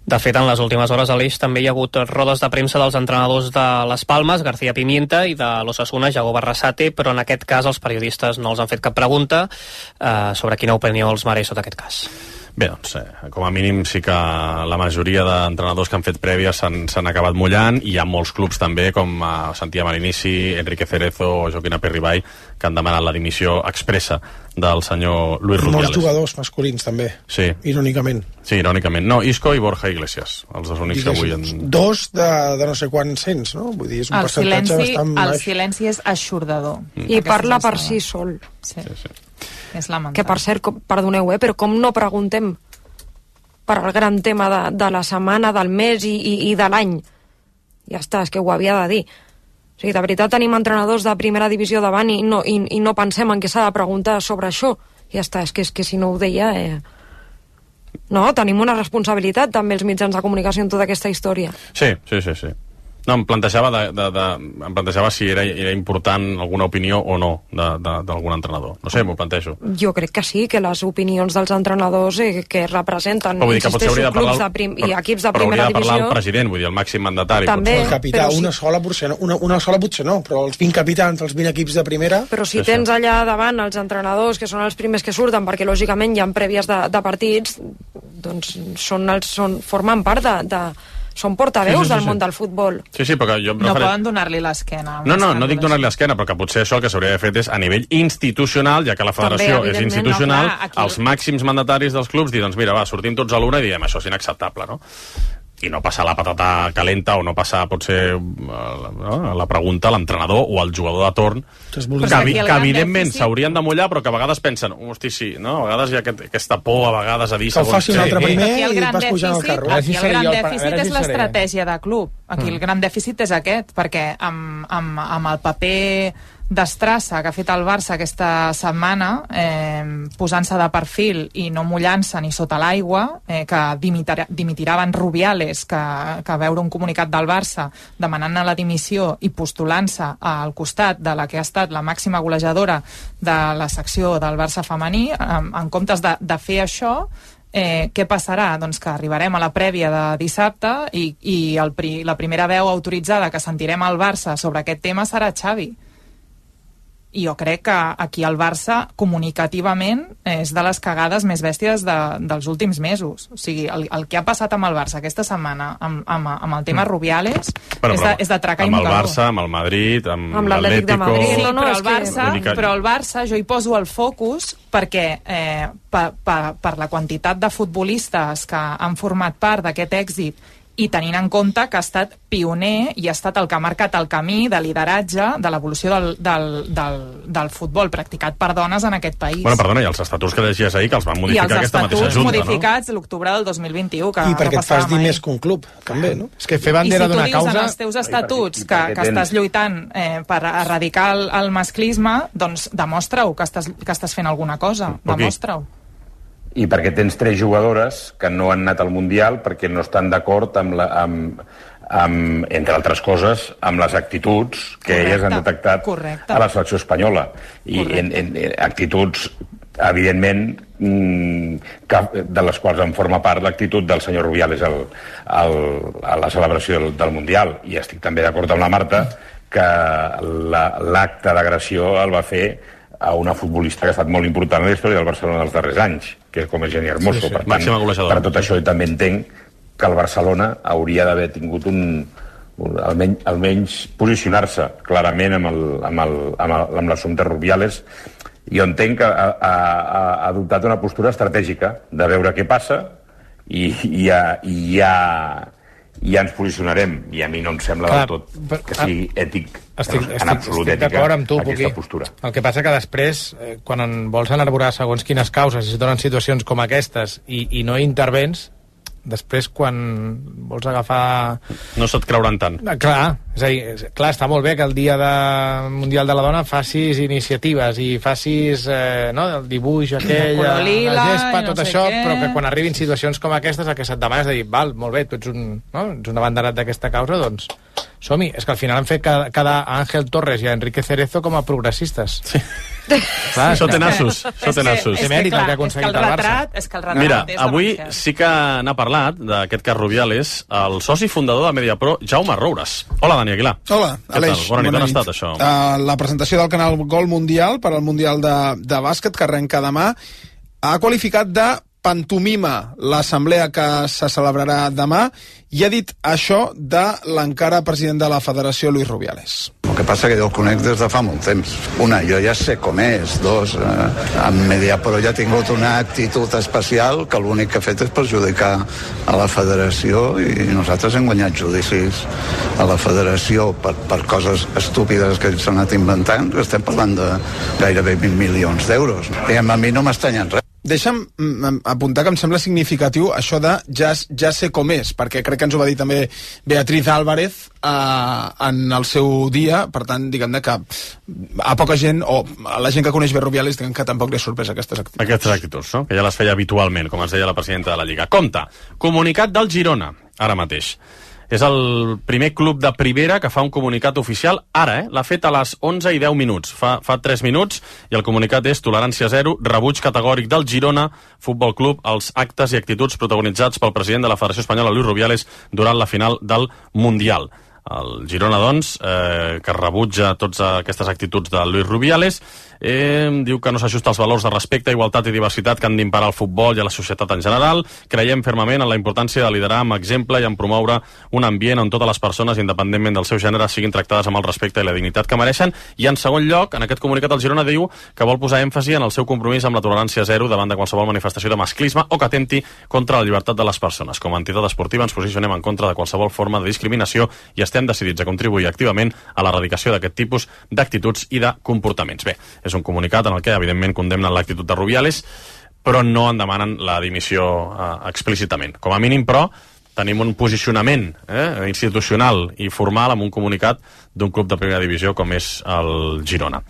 [SPEAKER 11] De fet, en les últimes hores a l'Eix també hi ha hagut rodes de premsa dels entrenadors de Les Palmes, García Pimienta, i de l'Osasuna, Jago Barrasate, però en aquest cas els periodistes no els han fet cap pregunta eh, sobre quina opinió els mereix tot aquest cas.
[SPEAKER 5] Bé, doncs, eh, com a mínim sí que la majoria d'entrenadors que han fet prèvies s'han acabat mullant, i hi ha molts clubs també, com eh, Santiago Marinici, Enrique Cerezo o Joaquín Aperribay, que han demanat la dimissió expressa del senyor Luis Rubiales.
[SPEAKER 15] Molts jugadors masculins, també,
[SPEAKER 5] sí.
[SPEAKER 15] irònicament.
[SPEAKER 5] Sí, irònicament. No, Isco i Borja Iglesias, els dos únics que avui... En...
[SPEAKER 15] Dos de, de no sé quants cents, no? Vull dir, és un
[SPEAKER 17] El
[SPEAKER 15] percentatge
[SPEAKER 17] silenci,
[SPEAKER 15] bastant
[SPEAKER 17] el
[SPEAKER 15] baix.
[SPEAKER 17] silenci és aixordador.
[SPEAKER 7] Mm. I parla per si sol.
[SPEAKER 17] Sí. sí, sí. És lamentable.
[SPEAKER 7] Que, per cert, com, perdoneu, eh, però com no preguntem per al gran tema de, de la setmana, del mes i, i, i de l'any? Ja està, és que ho havia de dir. O sigui, de veritat tenim entrenadors de primera divisió davant i no, i, i no pensem en què s'ha de preguntar sobre això. Ja està, és que, és que si no ho deia... Eh... No, tenim una responsabilitat també els mitjans de comunicació en tota aquesta història.
[SPEAKER 5] Sí, sí, sí, sí. No, em plantejava, de, de, de, em plantejava si era, era important alguna opinió o no d'algun entrenador. No sé, m'ho plantejo.
[SPEAKER 7] Jo crec que sí, que les opinions dels entrenadors eh, que representen,
[SPEAKER 5] però vull dir que potser hauria de parlar,
[SPEAKER 7] clubs de prim, i equips de
[SPEAKER 5] però
[SPEAKER 7] primera
[SPEAKER 5] hauria de parlar
[SPEAKER 7] divisió...
[SPEAKER 5] el president, vull dir, el màxim mandatari.
[SPEAKER 7] També,
[SPEAKER 15] el capità,
[SPEAKER 7] però
[SPEAKER 15] una
[SPEAKER 7] sí.
[SPEAKER 15] sola potser no, una, una sola potser no, però els vint capitans, els vint equips de primera...
[SPEAKER 7] Però si tens allà davant els entrenadors, que són els primers que surten, perquè lògicament hi ha prèvies de, de partits, doncs són els, són, formen part de, de són portaveus
[SPEAKER 5] Sí, sí, sí,
[SPEAKER 7] del
[SPEAKER 5] sí.
[SPEAKER 7] món del futbol.
[SPEAKER 5] Sí, sí, perquè jo em
[SPEAKER 17] No
[SPEAKER 5] refereixo...
[SPEAKER 17] poden donar-li l'esquena.
[SPEAKER 5] No, no, no dic donar-li l'esquena, però que potser això el que s'hauria d'haver fet és a nivell institucional, ja que la federació
[SPEAKER 17] També,
[SPEAKER 5] és
[SPEAKER 17] evidentment,
[SPEAKER 5] institucional,
[SPEAKER 17] no, clar, aquí-
[SPEAKER 5] els màxims mandataris dels clubs dir, doncs mira, va, sortim tots a l'una i diem això és inacceptable, no? I no passar la patata calenta o no passar, potser, no, la pregunta a l'entrenador o al jugador de torn, que, evi que evidentment s'haurien de mullar, però que a vegades pensen, hosti, sí, no? A vegades hi ha aquest, aquesta por, a vegades, a dir...
[SPEAKER 15] Que ho faci un altre primer
[SPEAKER 17] Aquí el
[SPEAKER 15] i
[SPEAKER 17] gran
[SPEAKER 15] vas pujant al
[SPEAKER 17] dèficit,
[SPEAKER 15] carro.
[SPEAKER 17] aquí el gran dèficit és
[SPEAKER 15] si seré.
[SPEAKER 17] l'estratègia de club. Aquí el gran dèficit és aquest, perquè amb, amb, amb el paper destrassa que ha fet el Barça aquesta setmana, eh, posant-se de perfil i no mullant-se ni sota l'aigua, eh, que dimitirà, dimitiraven Rubiales, que, que veure un comunicat del Barça demanant la dimissió i postulant-se al costat de la que ha estat la màxima golejadora de la secció del Barça femení, en, en comptes de, de fer això, Eh, què passarà? Doncs que arribarem a la prèvia de dissabte i, i el pri, la primera veu autoritzada que sentirem al Barça sobre aquest tema serà Xavi. I jo crec que aquí el Barça comunicativament és de les cagades més bèsties de, dels últims mesos. O sigui, el, el que ha passat amb el Barça aquesta setmana amb, amb, amb el tema Rubiales
[SPEAKER 5] Bueno,
[SPEAKER 17] és, de, és de traca i
[SPEAKER 5] amb el
[SPEAKER 17] mocador.
[SPEAKER 5] Barça, amb el Madrid, amb,
[SPEAKER 17] Amb
[SPEAKER 5] l'Atlético...
[SPEAKER 17] l'Atlètic de Madrid. Sí,
[SPEAKER 7] No, no,
[SPEAKER 17] però,
[SPEAKER 7] és
[SPEAKER 17] el
[SPEAKER 7] que-
[SPEAKER 17] Barça,
[SPEAKER 5] Vull dir que-
[SPEAKER 17] però el Barça jo hi poso el focus perquè eh, per, per, per la quantitat de futbolistes que han format part d'aquest èxit i tenint en compte que ha estat pioner i ha estat el que ha marcat el camí de lideratge de l'evolució del, del, del, del futbol practicat per dones en aquest país.
[SPEAKER 5] Bueno, perdona, i els estatuts que llegies ahir, que els van
[SPEAKER 17] I
[SPEAKER 5] modificar
[SPEAKER 17] els
[SPEAKER 5] aquesta mateixa
[SPEAKER 17] estatuts
[SPEAKER 5] junta,
[SPEAKER 17] modificats l'octubre del dos mil vint-i-u, que
[SPEAKER 15] I perquè
[SPEAKER 17] no
[SPEAKER 15] et fas
[SPEAKER 17] passava
[SPEAKER 15] dir
[SPEAKER 17] mai.
[SPEAKER 15] més que un club, també, no?
[SPEAKER 16] És que fer
[SPEAKER 17] I si
[SPEAKER 16] bandera
[SPEAKER 17] tu
[SPEAKER 16] d'una
[SPEAKER 17] dius en
[SPEAKER 16] causa...
[SPEAKER 17] els teus estatuts que, que
[SPEAKER 16] tens-
[SPEAKER 17] estàs lluitant eh, per erradicar el, el masclisme, doncs demostra-ho que estàs, que estàs fent alguna cosa. Demostra-ho.
[SPEAKER 14] I perquè tens tres jugadores que no han anat al Mundial perquè no estan d'acord amb, la, amb, amb, entre altres coses, amb les actituds que
[SPEAKER 17] Correcte.
[SPEAKER 14] elles han detectat
[SPEAKER 17] Correcte.
[SPEAKER 14] a la selecció espanyola. I en, en, en actituds, evidentment, mm, que, de les quals en forma part l'actitud del senyor Rubiales al, al, a la celebració del, del Mundial. I estic també d'acord amb la Marta que l'acte la, d'agressió el va fer a una futbolista que ha estat molt important en la història del Barcelona dels darrers anys, que és com és Jenny Hermoso.
[SPEAKER 5] Sí, sí.
[SPEAKER 14] Per tant,
[SPEAKER 5] Màxima golejadora.
[SPEAKER 14] per tot això jo també entenc que el Barcelona hauria d'haver tingut un, un almenys, almenys posicionar-se clarament amb, el, amb, el, amb, el, amb l'assumpte Rubiales. Jo entenc que ha, ha, ha adoptat una postura estratègica de veure què passa i, i, ja, i ja, ja ens posicionarem. I a mi no em sembla
[SPEAKER 16] Clar,
[SPEAKER 14] del tot
[SPEAKER 16] però-
[SPEAKER 14] que sigui ètic,
[SPEAKER 16] Estic,
[SPEAKER 14] en
[SPEAKER 16] estic,
[SPEAKER 14] absolut
[SPEAKER 16] estic
[SPEAKER 14] ètica,
[SPEAKER 16] d'acord amb tu,
[SPEAKER 14] aquesta
[SPEAKER 16] Puqui.
[SPEAKER 14] postura.
[SPEAKER 16] El que passa que després, eh, quan en vols enarborar segons quines causes i es donen situacions com aquestes i, i no intervens, després quan vols agafar...
[SPEAKER 5] No se't creuran tant.
[SPEAKER 16] Ah, clar, és a dir, és- clar, està molt bé que el dia de Mundial de la Dona facis iniciatives i facis eh, no, el dibuix aquell,
[SPEAKER 17] color
[SPEAKER 16] la,
[SPEAKER 17] lila,
[SPEAKER 16] la gespa,
[SPEAKER 17] i no
[SPEAKER 16] tot
[SPEAKER 17] sé
[SPEAKER 16] això,
[SPEAKER 17] què.
[SPEAKER 16] però que quan arribin situacions com aquestes el que se't demana és de dir, val, molt bé, tu ets un, no? ets un abanderat d'aquesta causa, doncs som-hi. És que al final han fet cada, cada Ángel Torres i a Enrique Cerezo com a progressistes. Sí. Clar,
[SPEAKER 5] Això té nassos, això té nassos.
[SPEAKER 16] És mèrit el que ha aconseguit el Barça.
[SPEAKER 17] És que el retrat
[SPEAKER 5] Mira,
[SPEAKER 17] és
[SPEAKER 5] avui
[SPEAKER 17] denunciat.
[SPEAKER 5] sí que n'ha parlat, d'aquest cas Rubiales, el soci fundador de Mediapro, Jaume Roures. Hola, Dani Aguilar.
[SPEAKER 1] Hola,
[SPEAKER 5] Què
[SPEAKER 1] Aleix.
[SPEAKER 5] tal? Bona nit, on ha estat això?
[SPEAKER 1] Uh, la presentació del canal Gol Mundial per al Mundial de, de bàsquet, que arrenca demà, ha qualificat de pantomima l'assemblea que se celebrarà demà i ha dit això de l'encara president de la Federació, Luis Rubiales.
[SPEAKER 6] El que passa que jo el conec des de fa molt temps. Una, jo ja sé com és. Dos, eh, en Mediapro ja ha tingut una actitud especial que l'únic que ha fet és perjudicar a la federació i nosaltres hem guanyat judicis a la federació per, per coses estúpides que s'han anat inventant. Estem parlant de gairebé vint milions d'euros. I a mi no m'estanya res.
[SPEAKER 1] Deixa'm mm, apuntar que em sembla significatiu això de ja, ja sé com és, perquè crec que ens ho va dir també Beatriz Álvarez eh, en el seu dia, per tant, diguem-ne que a poca gent, o a la gent que coneix bé Rubiales, diguem que tampoc li és sorpresa aquestes actituds.
[SPEAKER 5] Aquestes actituds, no? Que ja les feia habitualment, com ens deia la presidenta de la Lliga. Compte, comunicat del Girona, ara mateix. És el primer club de primera que fa un comunicat oficial ara, eh? L'ha fet a les onze i deu minuts, fa, fa tres minuts, i el comunicat és tolerància zero, rebuig categòric del Girona Futbol Club als actes i actituds protagonitzats pel president de la Federació Espanyola, Luis Rubiales, durant la final del Mundial. El Girona, doncs, eh, que rebutja totes aquestes actituds de Luis Rubiales, eh, diu que no s'ajusta als valors de respecte, igualtat i diversitat que han d'imparar al futbol i a la societat en general. Creiem fermament en la importància de liderar amb exemple i en promoure un ambient on totes les persones, independentment del seu gènere, siguin tractades amb el respecte i la dignitat que mereixen. I en segon lloc, en aquest comunicat el Girona diu que vol posar èmfasi en el seu compromís amb la tolerància zero davant de qualsevol manifestació de masclisme o que atempti contra la llibertat de les persones. Com a entitat esportiva ens posicionem en contra de qualsevol forma de discriminació i estem decidits a contribuir activament a l'erradicació d'aquest tipus d'actituds i de comportaments. Bé, és un comunicat en el que, evidentment, condemnen l'actitud de Rubiales, però no en demanen la dimissió eh, explícitament. Com a mínim, però, tenim un posicionament eh, institucional i formal amb un comunicat d'un club de primera divisió com és el Girona.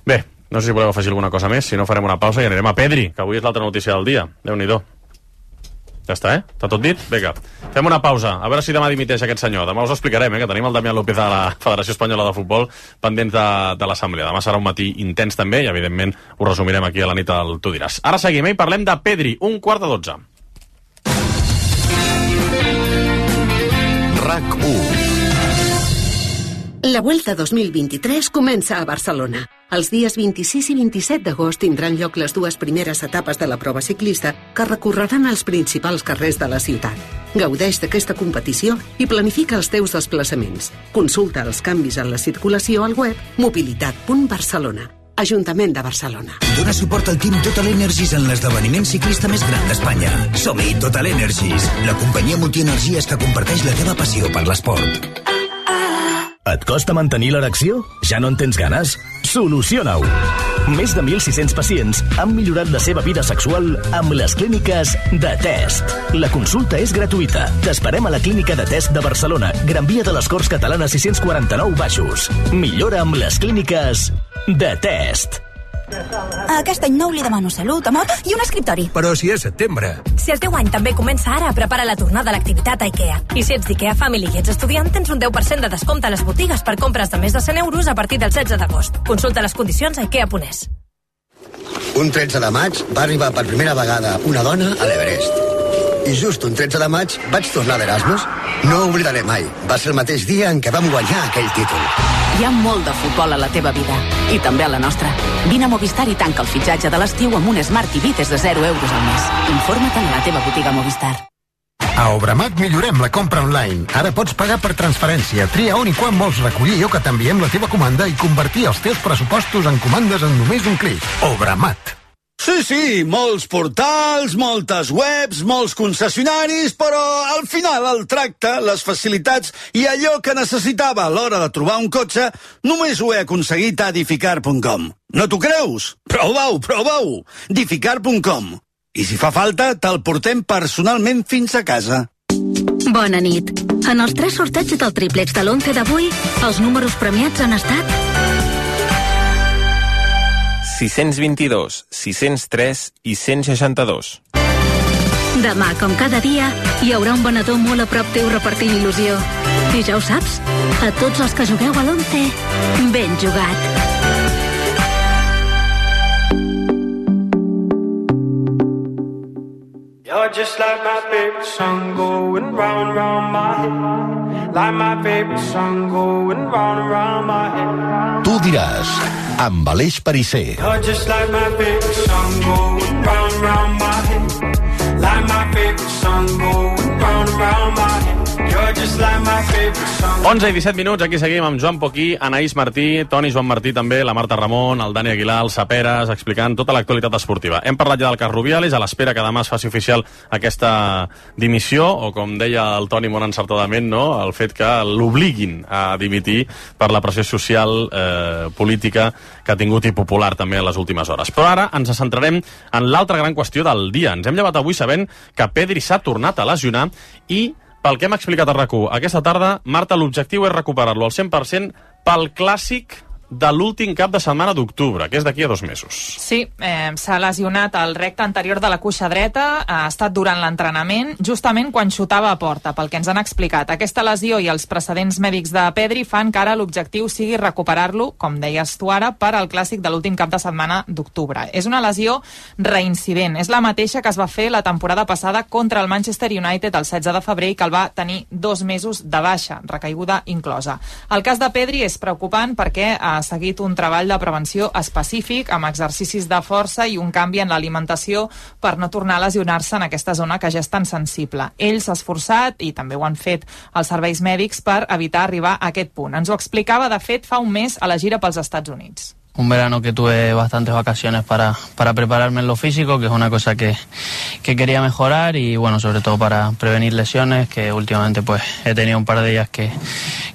[SPEAKER 5] Bé, no sé si voleu afegir alguna cosa més, si no farem una pausa i anirem a Pedri, que avui és l'altra notícia del dia. Déu-n'hi-do. Ja està, eh? Està tot dit? Vinga, fem una pausa, a veure si demà dimiteix aquest senyor. Demà us ho explicarem, eh? Que tenim el Damián López de la Federació Espanyola de Futbol pendents de, de l'assemblea. Demà serà un matí intens també i, evidentment, ho resumirem aquí a la nit al Tu diràs. Ara seguim, eh? I parlem de Pedri, un quart de dotze.
[SPEAKER 2] RAC u. La Vuelta dos mil vint-i-tres comença a Barcelona. Els dies vint-i-sis i vint-i-set d'agost tindran lloc les dues primeres etapes de la prova ciclista que recorreran els principals carrers de la ciutat. Gaudeix d'aquesta competició i planifica els teus desplaçaments. Consulta els canvis en la circulació al web mobilitat punt barcelona. Ajuntament de Barcelona.
[SPEAKER 3] Dona suport al Team Total Energies en l'esdeveniment ciclista més gran d'Espanya. Som-hi, Total Energies, la companyia multienergies que comparteix la teva passió per l'esport.
[SPEAKER 8] Et costa mantenir l'erecció? Ja no en tens ganes? Soluciona-ho! Més de mil sis-cents pacients han millorat la seva vida sexual amb les clíniques de Test. La consulta és gratuïta. T'esperem a la clínica de Test de Barcelona, Gran Via de les Corts Catalanes sis-cents quaranta-nou Baixos. Millora amb les clíniques de Test.
[SPEAKER 24] Aquest any nou li demano salut, amor i un escriptori.
[SPEAKER 3] Però si és setembre.
[SPEAKER 24] Si el teu any també comença ara, prepara la tornada a l'activitat a IKEA. I si ets d'IKEA Family i ets estudiant, tens un deu per cent de descompte a les botigues per compres de més de cent euros a partir del setze d'agost. Consulta les condicions a ikea punt es.
[SPEAKER 25] Un tretze de maig va arribar per primera vegada una dona a l'Everest. I just un tretze de maig vaig tornar d'Erasmus. No ho oblidaré mai. Va ser el mateix dia en què vam guanyar aquell títol.
[SPEAKER 26] Hi ha molt de futbol a la teva vida, i també a la nostra. Vine a Movistar i tanca el fitxatge de l'estiu amb un Smart T V des de zero euros al mes. Informa't a la teva botiga Movistar.
[SPEAKER 27] A Obramat millorem la compra online. Ara pots pagar per transferència. Tria on i quan vols recollir o que t'enviem la teva comanda i convertir els teus pressupostos en comandes en només un clic. Obramat.
[SPEAKER 28] Sí, sí, molts portals, moltes webs, molts concessionaris, però al final el tracte, les facilitats i allò que necessitava a l'hora de trobar un cotxe només ho he aconseguit a Dificar punt com. No t'ho creus? Prova-ho, prova-ho! Dificar punt com. I si fa falta, te'l portem personalment fins a casa.
[SPEAKER 29] Bona nit. En els tres sorteig del triplex de l'onze d'avui, els números premiats han estat
[SPEAKER 30] sis-cents vint-i-dos, sis-cents tres i cent seixanta-dos.
[SPEAKER 29] Demà, com cada dia, hi haurà un venedor molt a prop teu repartint il·lusió. I ja ho saps, a tots els que jugueu a l'onze, ben jugat.
[SPEAKER 31] You're just like my favorite song going round, round my head. Like my favorite song going round, round my head.
[SPEAKER 4] Tu diràs, amb Aleix Perisser.
[SPEAKER 31] You're just like my favorite song going round, round my head. Like my favorite song going round, round my head. You're just like my favorite song.
[SPEAKER 5] onze i disset minuts, aquí seguim amb Joan Poquí, Anaïs Martí, Toni Joan Martí també, la Marta Ramon, el Dani Aguilar, el Saperes, explicant tota l'actualitat esportiva. Hem parlat ja del cas Rubiales, a l'espera que demà es faci oficial aquesta dimissió, o com deia el Toni molt encertadament, no? El fet que l'obliguin a dimitir per la pressió social, eh, política que ha tingut i popular també en les últimes hores. Però ara ens centrarem en l'altra gran qüestió del dia. Ens hem llevat avui sabent que Pedri s'ha tornat a lesionar i pel que hem explicat a RAC u aquesta tarda, Marta, l'objectiu és recuperar-lo al cent per cent pel clàssic de l'últim cap de setmana d'octubre, que és d'aquí a dos mesos.
[SPEAKER 17] Sí, eh, s'ha lesionat el recte anterior de la cuixa dreta, ha estat durant l'entrenament, justament quan xutava a porta, pel que ens han explicat. Aquesta lesió i els precedents mèdics de Pedri fan que ara l'objectiu sigui recuperar-lo, com deies tu ara, per al clàssic de l'últim cap de setmana d'octubre. És una lesió reincident, és la mateixa que es va fer la temporada passada contra el Manchester United el setze de febrer i que el va tenir dos mesos de baixa, recaiguda inclosa. El cas de Pedri és preocupant perquè ha seguit un treball de prevenció específic amb exercicis de força i un canvi en l'alimentació per no tornar a lesionar-se en aquesta zona que ja és tan sensible. Ell s'ha esforçat, i també ho han fet els serveis mèdics, per evitar arribar a aquest punt. Ens ho explicava, de fet, fa un mes a la gira pels Estats Units.
[SPEAKER 9] Un verano que tuve bastantes vacaciones para, para prepararme en lo físico, que es una cosa que, que quería mejorar, y bueno, sobre todo para prevenir lesiones, que últimamente pues he tenido un par de ellas que,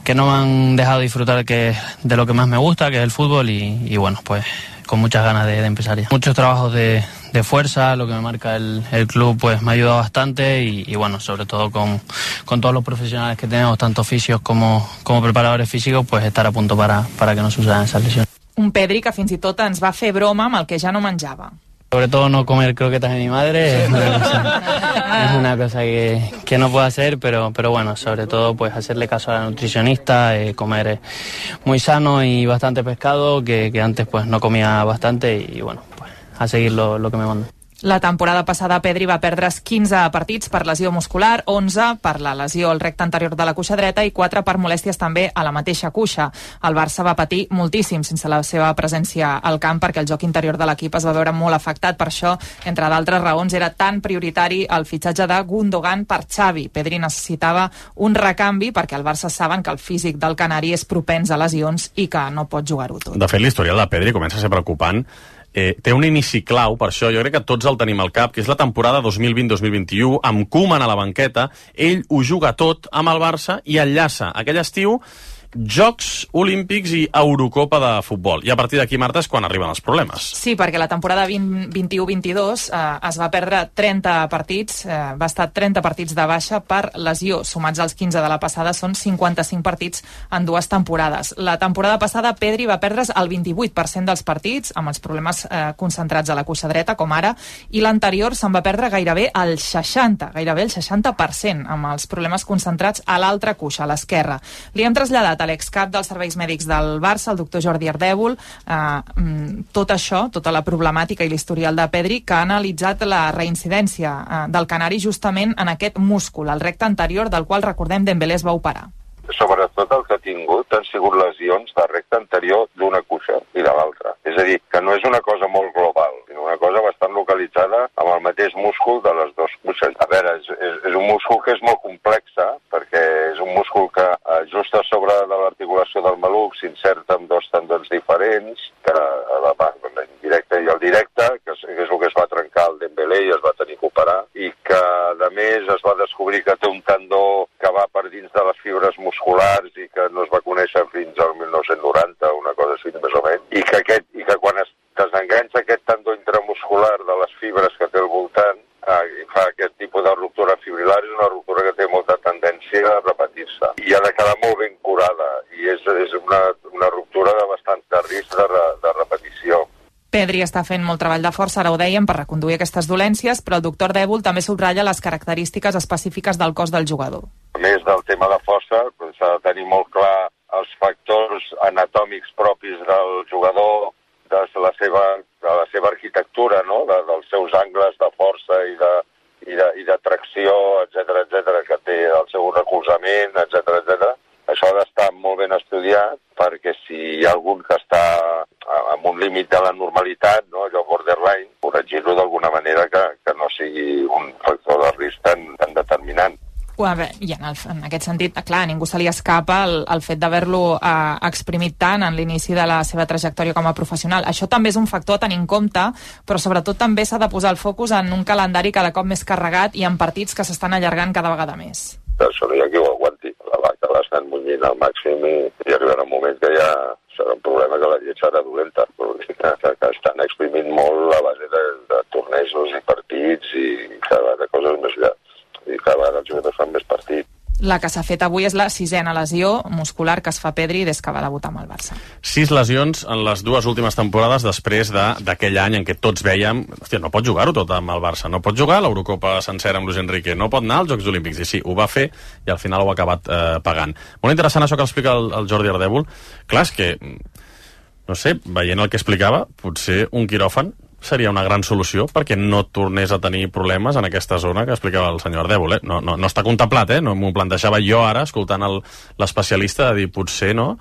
[SPEAKER 9] que no me han dejado disfrutar que, de lo que más me gusta, que es el fútbol, y, y bueno, pues con muchas ganas de, de empezar ya. Muchos trabajos de, de fuerza, lo que me marca el, el club, pues me ha ayudado bastante, y, y bueno, sobre todo con, con todos los profesionales que tenemos, tanto fisios como, como preparadores físicos, pues estar a punto para, para que no sucedan esas lesiones.
[SPEAKER 17] Un Pedri que fins i tot ens va fer broma amb el que ja no menjava.
[SPEAKER 9] Sobre todo no comer croquetas de mi madre es una cosa, es una cosa que, que no puedo hacer, pero, pero bueno, sobre todo pues hacerle caso a la nutricionista, eh, comer eh, muy sano y bastante pescado, que, que antes pues no comía bastante, y bueno, pues a seguir lo, lo que me manda.
[SPEAKER 17] La temporada passada Pedri va perdre's quinze partits per lesió muscular, onze per la lesió al recte anterior de la cuixa dreta i quatre per molèsties també a la mateixa cuixa. El Barça va patir moltíssim sense la seva presència al camp perquè el joc interior de l'equip es va veure molt afectat. Per això, entre d'altres raons, era tan prioritari el fitxatge de Gundogan per Xavi. Pedri necessitava un recanvi perquè el Barça saben que el físic del canari és propens a lesions i que no pot jugar-ho tot.
[SPEAKER 5] De fet, l'historial de Pedri comença a ser preocupant. Eh, té un inici clau, per això jo crec que tots el tenim al cap, que és la temporada dos mil vint dos mil vint-i-u, amb Koeman a la banqueta. Ell ho juga tot amb el Barça i enllaça aquell estiu Jocs Olímpics i Eurocopa de futbol. I a partir d'aquí, Marta, és quan arriben els problemes.
[SPEAKER 17] Sí, perquè la temporada vint-i-u vint-i-dos eh, es va perdre trenta partits, eh, va estar trenta partits de baixa per lesió. Sumats als quinze de la passada són cinquanta-cinc partits en dues temporades. La temporada passada Pedri va perdre's el vint-i-vuit per cent dels partits, amb els problemes eh, concentrats a la cuixa dreta, com ara, i l'anterior se'n va perdre gairebé el seixanta, gairebé el seixanta per cent, amb els problemes concentrats a l'altra cuixa, a l'esquerra. Li hem traslladat a l'excap dels serveis mèdics del Barça, el doctor Jordi Ardèvol, eh, tot això, tota la problemàtica i l'historial de Pedri, que ha analitzat la reincidència eh, del canari justament en aquest múscul, el recte anterior, del qual, recordem, Dembélé es va operar.
[SPEAKER 10] Sobretot el que ha tingut han sigut lesions de recte anterior d'una cuixa i de l'altra. És a dir, que no és una cosa molt global, sinó una cosa bastant localitzada amb el mateix múscul de les dues cuixes. A veure, és, és, és un múscul que és molt complexa, perquè és un múscul que eh, just a sobre de l'articulació del maluc s'inserta amb dos tendons diferents, que la, la indirecta i el directe, que és, que és el que es va trencar el Dembélé i es va tenir que operar, i que, a més, es va descobrir que té un tendó que va per dins de les fibres musculars i que no es va conèixer fins al mil nou-cents noranta, una cosa així més o menys, i que, aquest, i que quan es desenganxa aquest tendó intramuscular de les fibres que té al voltant eh, i fa aquest tipus de ruptura fibrilar, és una ruptura que té molta tendència a repetir-se i ha de quedar molt ben curada, i és, és una, una ruptura de bastant de risc de, re, de repetició.
[SPEAKER 17] Pedri està fent molt treball de força, ara ho dèiem, per reconduir aquestes dolències, però el doctor Dèvol també subratlla les característiques específiques del cos del jugador.
[SPEAKER 10] A més del tema de força, s'ha de tenir molt clar els factors anatòmics propis del jugador, de la seva, de la seva arquitectura, no? de, dels seus angles de força i de, i de, i de tracció, etcètera, etcètera, que té el seu recolzament, etcètera, etcètera. Això ha d'estar molt ben estudiat, perquè si hi ha algun que està amb un límit de la normalitat, no? allò borderline, corregir-lo d'alguna manera que, que no sigui un factor de risc tan, tan determinant.
[SPEAKER 17] Veure, i en, el, en aquest sentit, clar, a ningú se li escapa el, el fet d'haver-lo eh, exprimit tant en l'inici de la seva trajectòria com a professional. Això també és un factor a tenir en compte, però sobretot també s'ha de posar el focus en un calendari cada cop més carregat i en partits que s'estan allargant cada vegada més.
[SPEAKER 10] Això no hi ha qui ho aguanti. La vaca l'estan munyint al màxim i, i arribarà un moment que ja serà un problema que la llet serà dolenta, que, que, que estan exprimint molt a base de, de tornejos i partits i cada vegada coses més llars. I cada vegada els jugadors fan més partits.
[SPEAKER 17] La que s'ha fet avui és la sisena lesió muscular que es fa Pedri des que va debutar amb el Barça.
[SPEAKER 5] Sis lesions en les dues últimes temporades després d'aquell de, any en què tots veiem, hòstia, no pot jugar-ho tot amb el Barça, no pot jugar l'Eurocopa sencera amb Luis Enrique, no pot anar als Jocs Olímpics, i sí, ho va fer i al final ho ha acabat eh, pagant. Molt interessant això que explica el, el Jordi Ardèvol. Clar, és que, no sé, veient el que explicava, potser un quiròfan seria una gran solució perquè no tornés a tenir problemes en aquesta zona que explicava el senyor Ardèvol. Eh? No, no, no està contemplat, eh? No m'ho plantejava jo ara, escoltant l'especialista, de dir, potser no,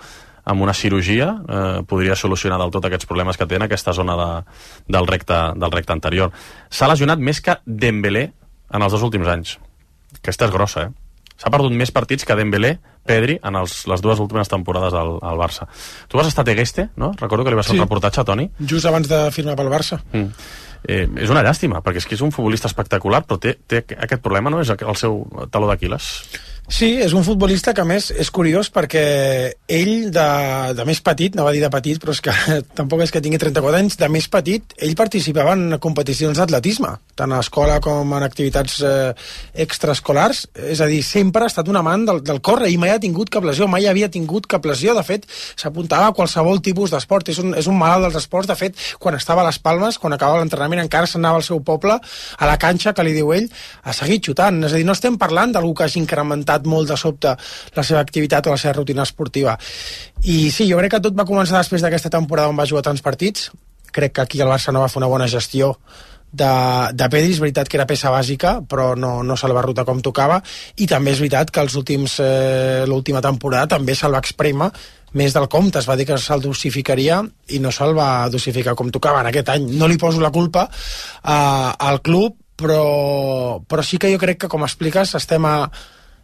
[SPEAKER 5] amb una cirurgia eh, podria solucionar del tot aquests problemes que té en aquesta zona de, del, recte, del recte anterior. S'ha lesionat més que Dembélé en els dos últims anys. Aquesta és grossa, eh? S'ha perdut més partits que Dembélé, Pedri, en els, les dues últimes temporades al, al Barça. Tu vas estar a Tegueste, no? Recordo que li vas fer sí. un reportatge a Toni.
[SPEAKER 1] Just abans de firmar pel Barça.
[SPEAKER 5] Mm. Eh, és una llàstima, perquè és que és un futbolista espectacular, però té, té aquest problema, no? És el seu taló d'Aquil·les.
[SPEAKER 1] Sí, és un futbolista que, a més, és curiós perquè ell, de, de més petit, no va dir de petit, però és que tampoc és que tingui trenta-quatre anys, de més petit, ell participava en competicions d'atletisme, tant a escola com en activitats eh, extraescolars, és a dir, sempre ha estat un amant del, del córrer, i mai ha tingut cap lesió, mai havia tingut cap lesió, de fet, s'apuntava a qualsevol tipus d'esport, és un, és un malalt dels esports, de fet, quan estava a les Palmes, quan acabava l'entrenament, encara s'anava al seu poble, a la canxa, que li diu ell, a seguir xutant, és a dir, no estem parlant d'algú que hagi incrementat molt de sobte la seva activitat o la seva rutina esportiva. I sí, jo crec que tot va començar després d'aquesta temporada on va jugar tants partits. Crec que aquí el Barça no va fer una bona gestió de, de Pedri. És veritat que era peça bàsica, però no, no se'l va rotar com tocava, i també és veritat que els últims eh, l'última temporada també se'l va exprémer més del compte. Es va dir que se'l dosificaria i no se'l va dosificar com tocava en aquest any. No li poso la culpa eh, al club, però, però sí que jo crec que, com expliques, estem a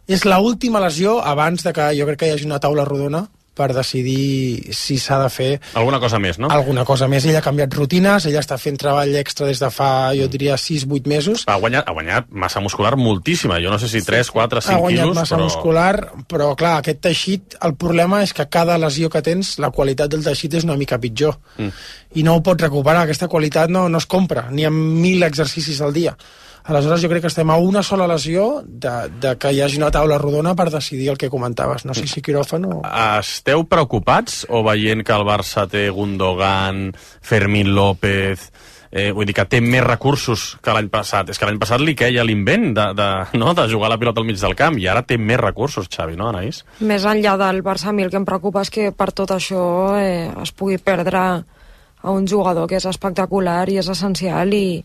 [SPEAKER 1] és l'última lesió abans de que jo crec que hi hagi una taula rodona per decidir si s'ha de fer
[SPEAKER 5] alguna cosa més, no?
[SPEAKER 1] Alguna cosa més. Ell ha canviat rutines, ell està fent treball extra des de fa, jo diria, sis vuit mesos.
[SPEAKER 5] Ha guanyat, ha guanyat massa muscular moltíssima, jo no sé si tres, quatre, cinc quilos,
[SPEAKER 1] ha guanyat massa
[SPEAKER 5] però...
[SPEAKER 1] muscular, però clar, aquest teixit, el problema és que cada lesió que tens, la qualitat del teixit és una mica pitjor. Mm. I no ho pots recuperar, aquesta qualitat no, no es compra, ni amb mil exercicis al dia. Aleshores jo crec que estem a una sola lesió de, de que hi hagi una taula rodona per decidir el que comentaves. No sé si quiròfan o...
[SPEAKER 5] Esteu preocupats o veient que el Barça té Gundogan, Fermín López... Eh, vull dir que té més recursos que l'any passat. És que l'any passat li queia l'invent de, de, no? de jugar la pilota al mig del camp, i ara té més recursos, Xavi, no, Anaïs?
[SPEAKER 7] Més enllà del Barça, a mi el que em preocupa és que per tot això eh, es pugui perdre a un jugador que és espectacular i és essencial i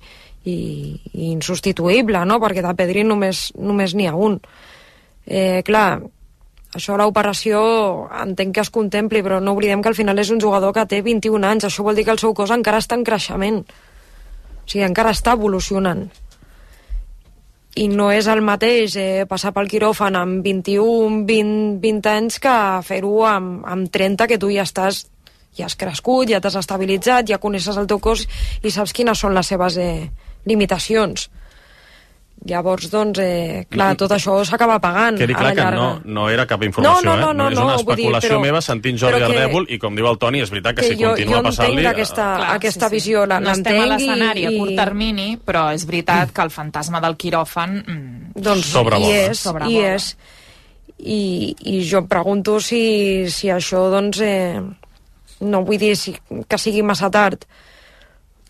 [SPEAKER 7] I, i insubstituïble, no? Perquè de Pedri només, només n'hi ha un. Eh, clar, això l'operació entenc que es contempli, però no oblidem que al final és un jugador que té vint-i-un anys, això vol dir que el seu cos encara està en creixement, o sigui, encara està evolucionant. I no és el mateix eh, passar pel quiròfan amb vint-i-un, vint, vint anys que fer-ho amb, amb trenta, que tu ja estàs ja has crescut, ja t'has estabilitzat, ja coneixes el teu cos i saps quines són les seves eh, limitacions. Llavors, doncs, eh, clar, tot això s'acaba pagant.
[SPEAKER 5] Quedi clar que no, no era cap informació,
[SPEAKER 7] no, no, no,
[SPEAKER 5] eh? No,
[SPEAKER 7] no,
[SPEAKER 5] és una
[SPEAKER 7] no,
[SPEAKER 5] especulació
[SPEAKER 7] dir, però,
[SPEAKER 5] meva sentint Jordi Ardèvol, i com diu el Toni, és veritat que, que si
[SPEAKER 7] jo,
[SPEAKER 5] continua passant-li...
[SPEAKER 7] Jo entenc aquesta,
[SPEAKER 17] clar,
[SPEAKER 7] aquesta
[SPEAKER 17] sí, sí.
[SPEAKER 7] visió, la,
[SPEAKER 17] no estem a l'escenari
[SPEAKER 7] i...
[SPEAKER 17] a curt termini, però és veritat que el fantasma del quiròfan mm,
[SPEAKER 7] doncs,
[SPEAKER 5] sobrevola.
[SPEAKER 7] I és, i és. I, i jo em pregunto si, si això, doncs... Eh, no vull dir si, que sigui massa tard,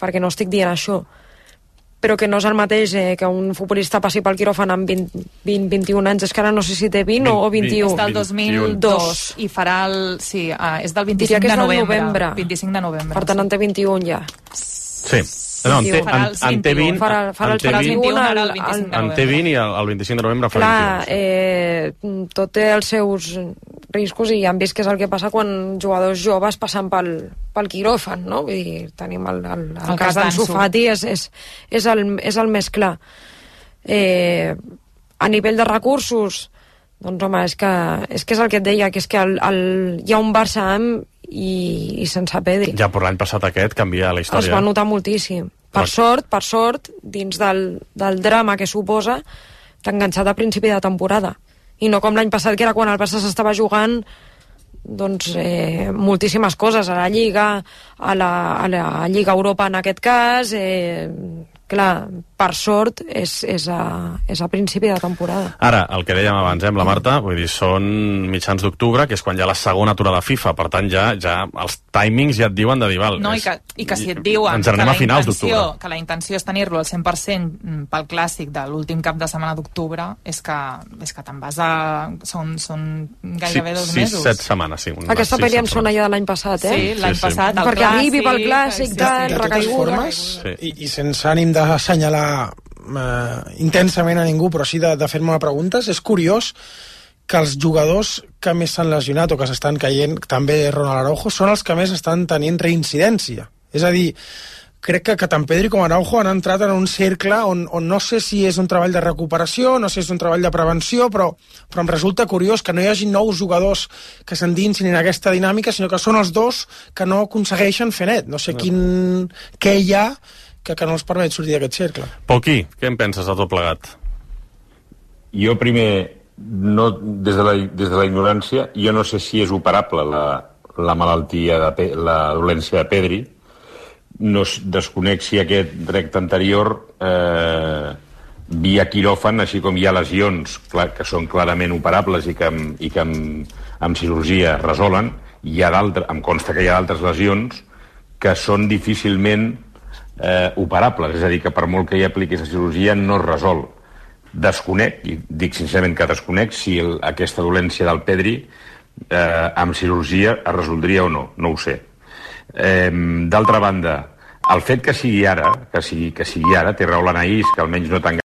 [SPEAKER 7] perquè no estic dient això, però que no és el mateix eh, que un futbolista passi pel quiròfan amb vint, vint, vint-i-un anys, és que ara no sé si té vint, vint o vint-i-u.
[SPEAKER 17] És del dos mil dos i farà el... Sí, uh, és del vint-i-cinc de novembre. novembre. vint-i-cinc de novembre.
[SPEAKER 7] Per tant, sí. En té vint-i-un ja.
[SPEAKER 5] Sí. No, en, té, en, en té vint,
[SPEAKER 7] farà, farà
[SPEAKER 5] en té vint,
[SPEAKER 7] vint-i-un
[SPEAKER 17] ara el vint-i-cinc de novembre.
[SPEAKER 5] En té vint i el, el vint-i-cinc de novembre farà
[SPEAKER 7] clar,
[SPEAKER 5] vint-i-un.
[SPEAKER 7] Eh, tot té els seus riscos i ja hem vist que és el que passa quan jugadors joves passen pel, pel quiròfan, no? Vull dir, tenim el, el, el, el cas d'Ansu Fati, és, és, és, el, és el més clar. Eh, a nivell de recursos, doncs home, és que és, que és el que et deia, que és que el, el, hi ha un Barça amb i, i sense Pedri.
[SPEAKER 5] Ja per l'any passat aquest canvia la història.
[SPEAKER 7] Es va notar moltíssim. Per Però... sort, per sort, dins del, del drama que suposa, t'ha enganxat a principi de temporada. I no com l'any passat, que era quan el Barça s'estava jugant doncs, eh, moltíssimes coses, a la Lliga, a la, a la Lliga Europa en aquest cas, eh, clar, per sort, és, és, a, és a principi de temporada.
[SPEAKER 5] Ara, el que dèiem abans, eh, amb la Marta, vull dir, són mitjans d'octubre, que és quan hi ha la segona aturada FIFA, per tant, ja, ja els timings ja et diuen de dir, val,
[SPEAKER 17] no,
[SPEAKER 5] és,
[SPEAKER 17] i, que, i que si et diuen
[SPEAKER 5] ens anem
[SPEAKER 17] que,
[SPEAKER 5] a finals d'octubre,
[SPEAKER 17] que la intenció és tenir-lo al cent per cent pel clàssic de l'últim cap de setmana d'octubre, és que, és que te'n vas a... Són, són gairebé dos
[SPEAKER 5] sis,
[SPEAKER 17] mesos.
[SPEAKER 5] set setmanes, sí.
[SPEAKER 7] Aquesta pel·li em sona ja de l'any passat, eh?
[SPEAKER 17] Sí, l'any
[SPEAKER 5] sí, sí.
[SPEAKER 17] passat, el
[SPEAKER 7] perquè
[SPEAKER 17] clàssic...
[SPEAKER 7] arribi pel clàssic, tal,
[SPEAKER 11] de totes
[SPEAKER 7] recaiguda.
[SPEAKER 11] formes, i, i sense ànim d'assenyalar eh, intensament a ningú, però sí de, de fer-me preguntes, és curiós que els jugadors que més s'han lesionat o que s'estan caient, també Ronald Araujo, són els que més estan tenint reincidència. És a dir, crec que, que tant Pedri com Araujo han entrat en un cercle on, on no sé si és un treball de recuperació, no sé si és un treball de prevenció, però, però em resulta curiós que no hi hagi nous jugadors que s'endinsin en aquesta dinàmica, sinó que són els dos que no aconsegueixen fer net. No sé no. quin... què hi ha que, que no els permet sortir d'aquest cercle.
[SPEAKER 5] Poquí, què en penses de tot plegat?
[SPEAKER 12] Jo primer, no, des, de la, des de la ignorància, jo no sé si és operable la, la malaltia, de, la dolència de Pedri. No desconec si aquest recte anterior eh, via quiròfan, així com hi ha lesions clar, que són clarament operables i que, amb, i que amb, amb cirurgia resolen, hi ha d'altres, em consta que hi ha d'altres lesions que són difícilment eh, operables, és a dir, que per molt que hi apliquis la cirurgia no es resol. Desconec, i dic sincerament que desconec, si el, aquesta dolència del Pedri eh, amb cirurgia es resoldria o no, no ho sé. Eh, d'altra banda, el fet que sigui ara, que sigui, que sigui ara, té raó l'Anaïs, que almenys no tan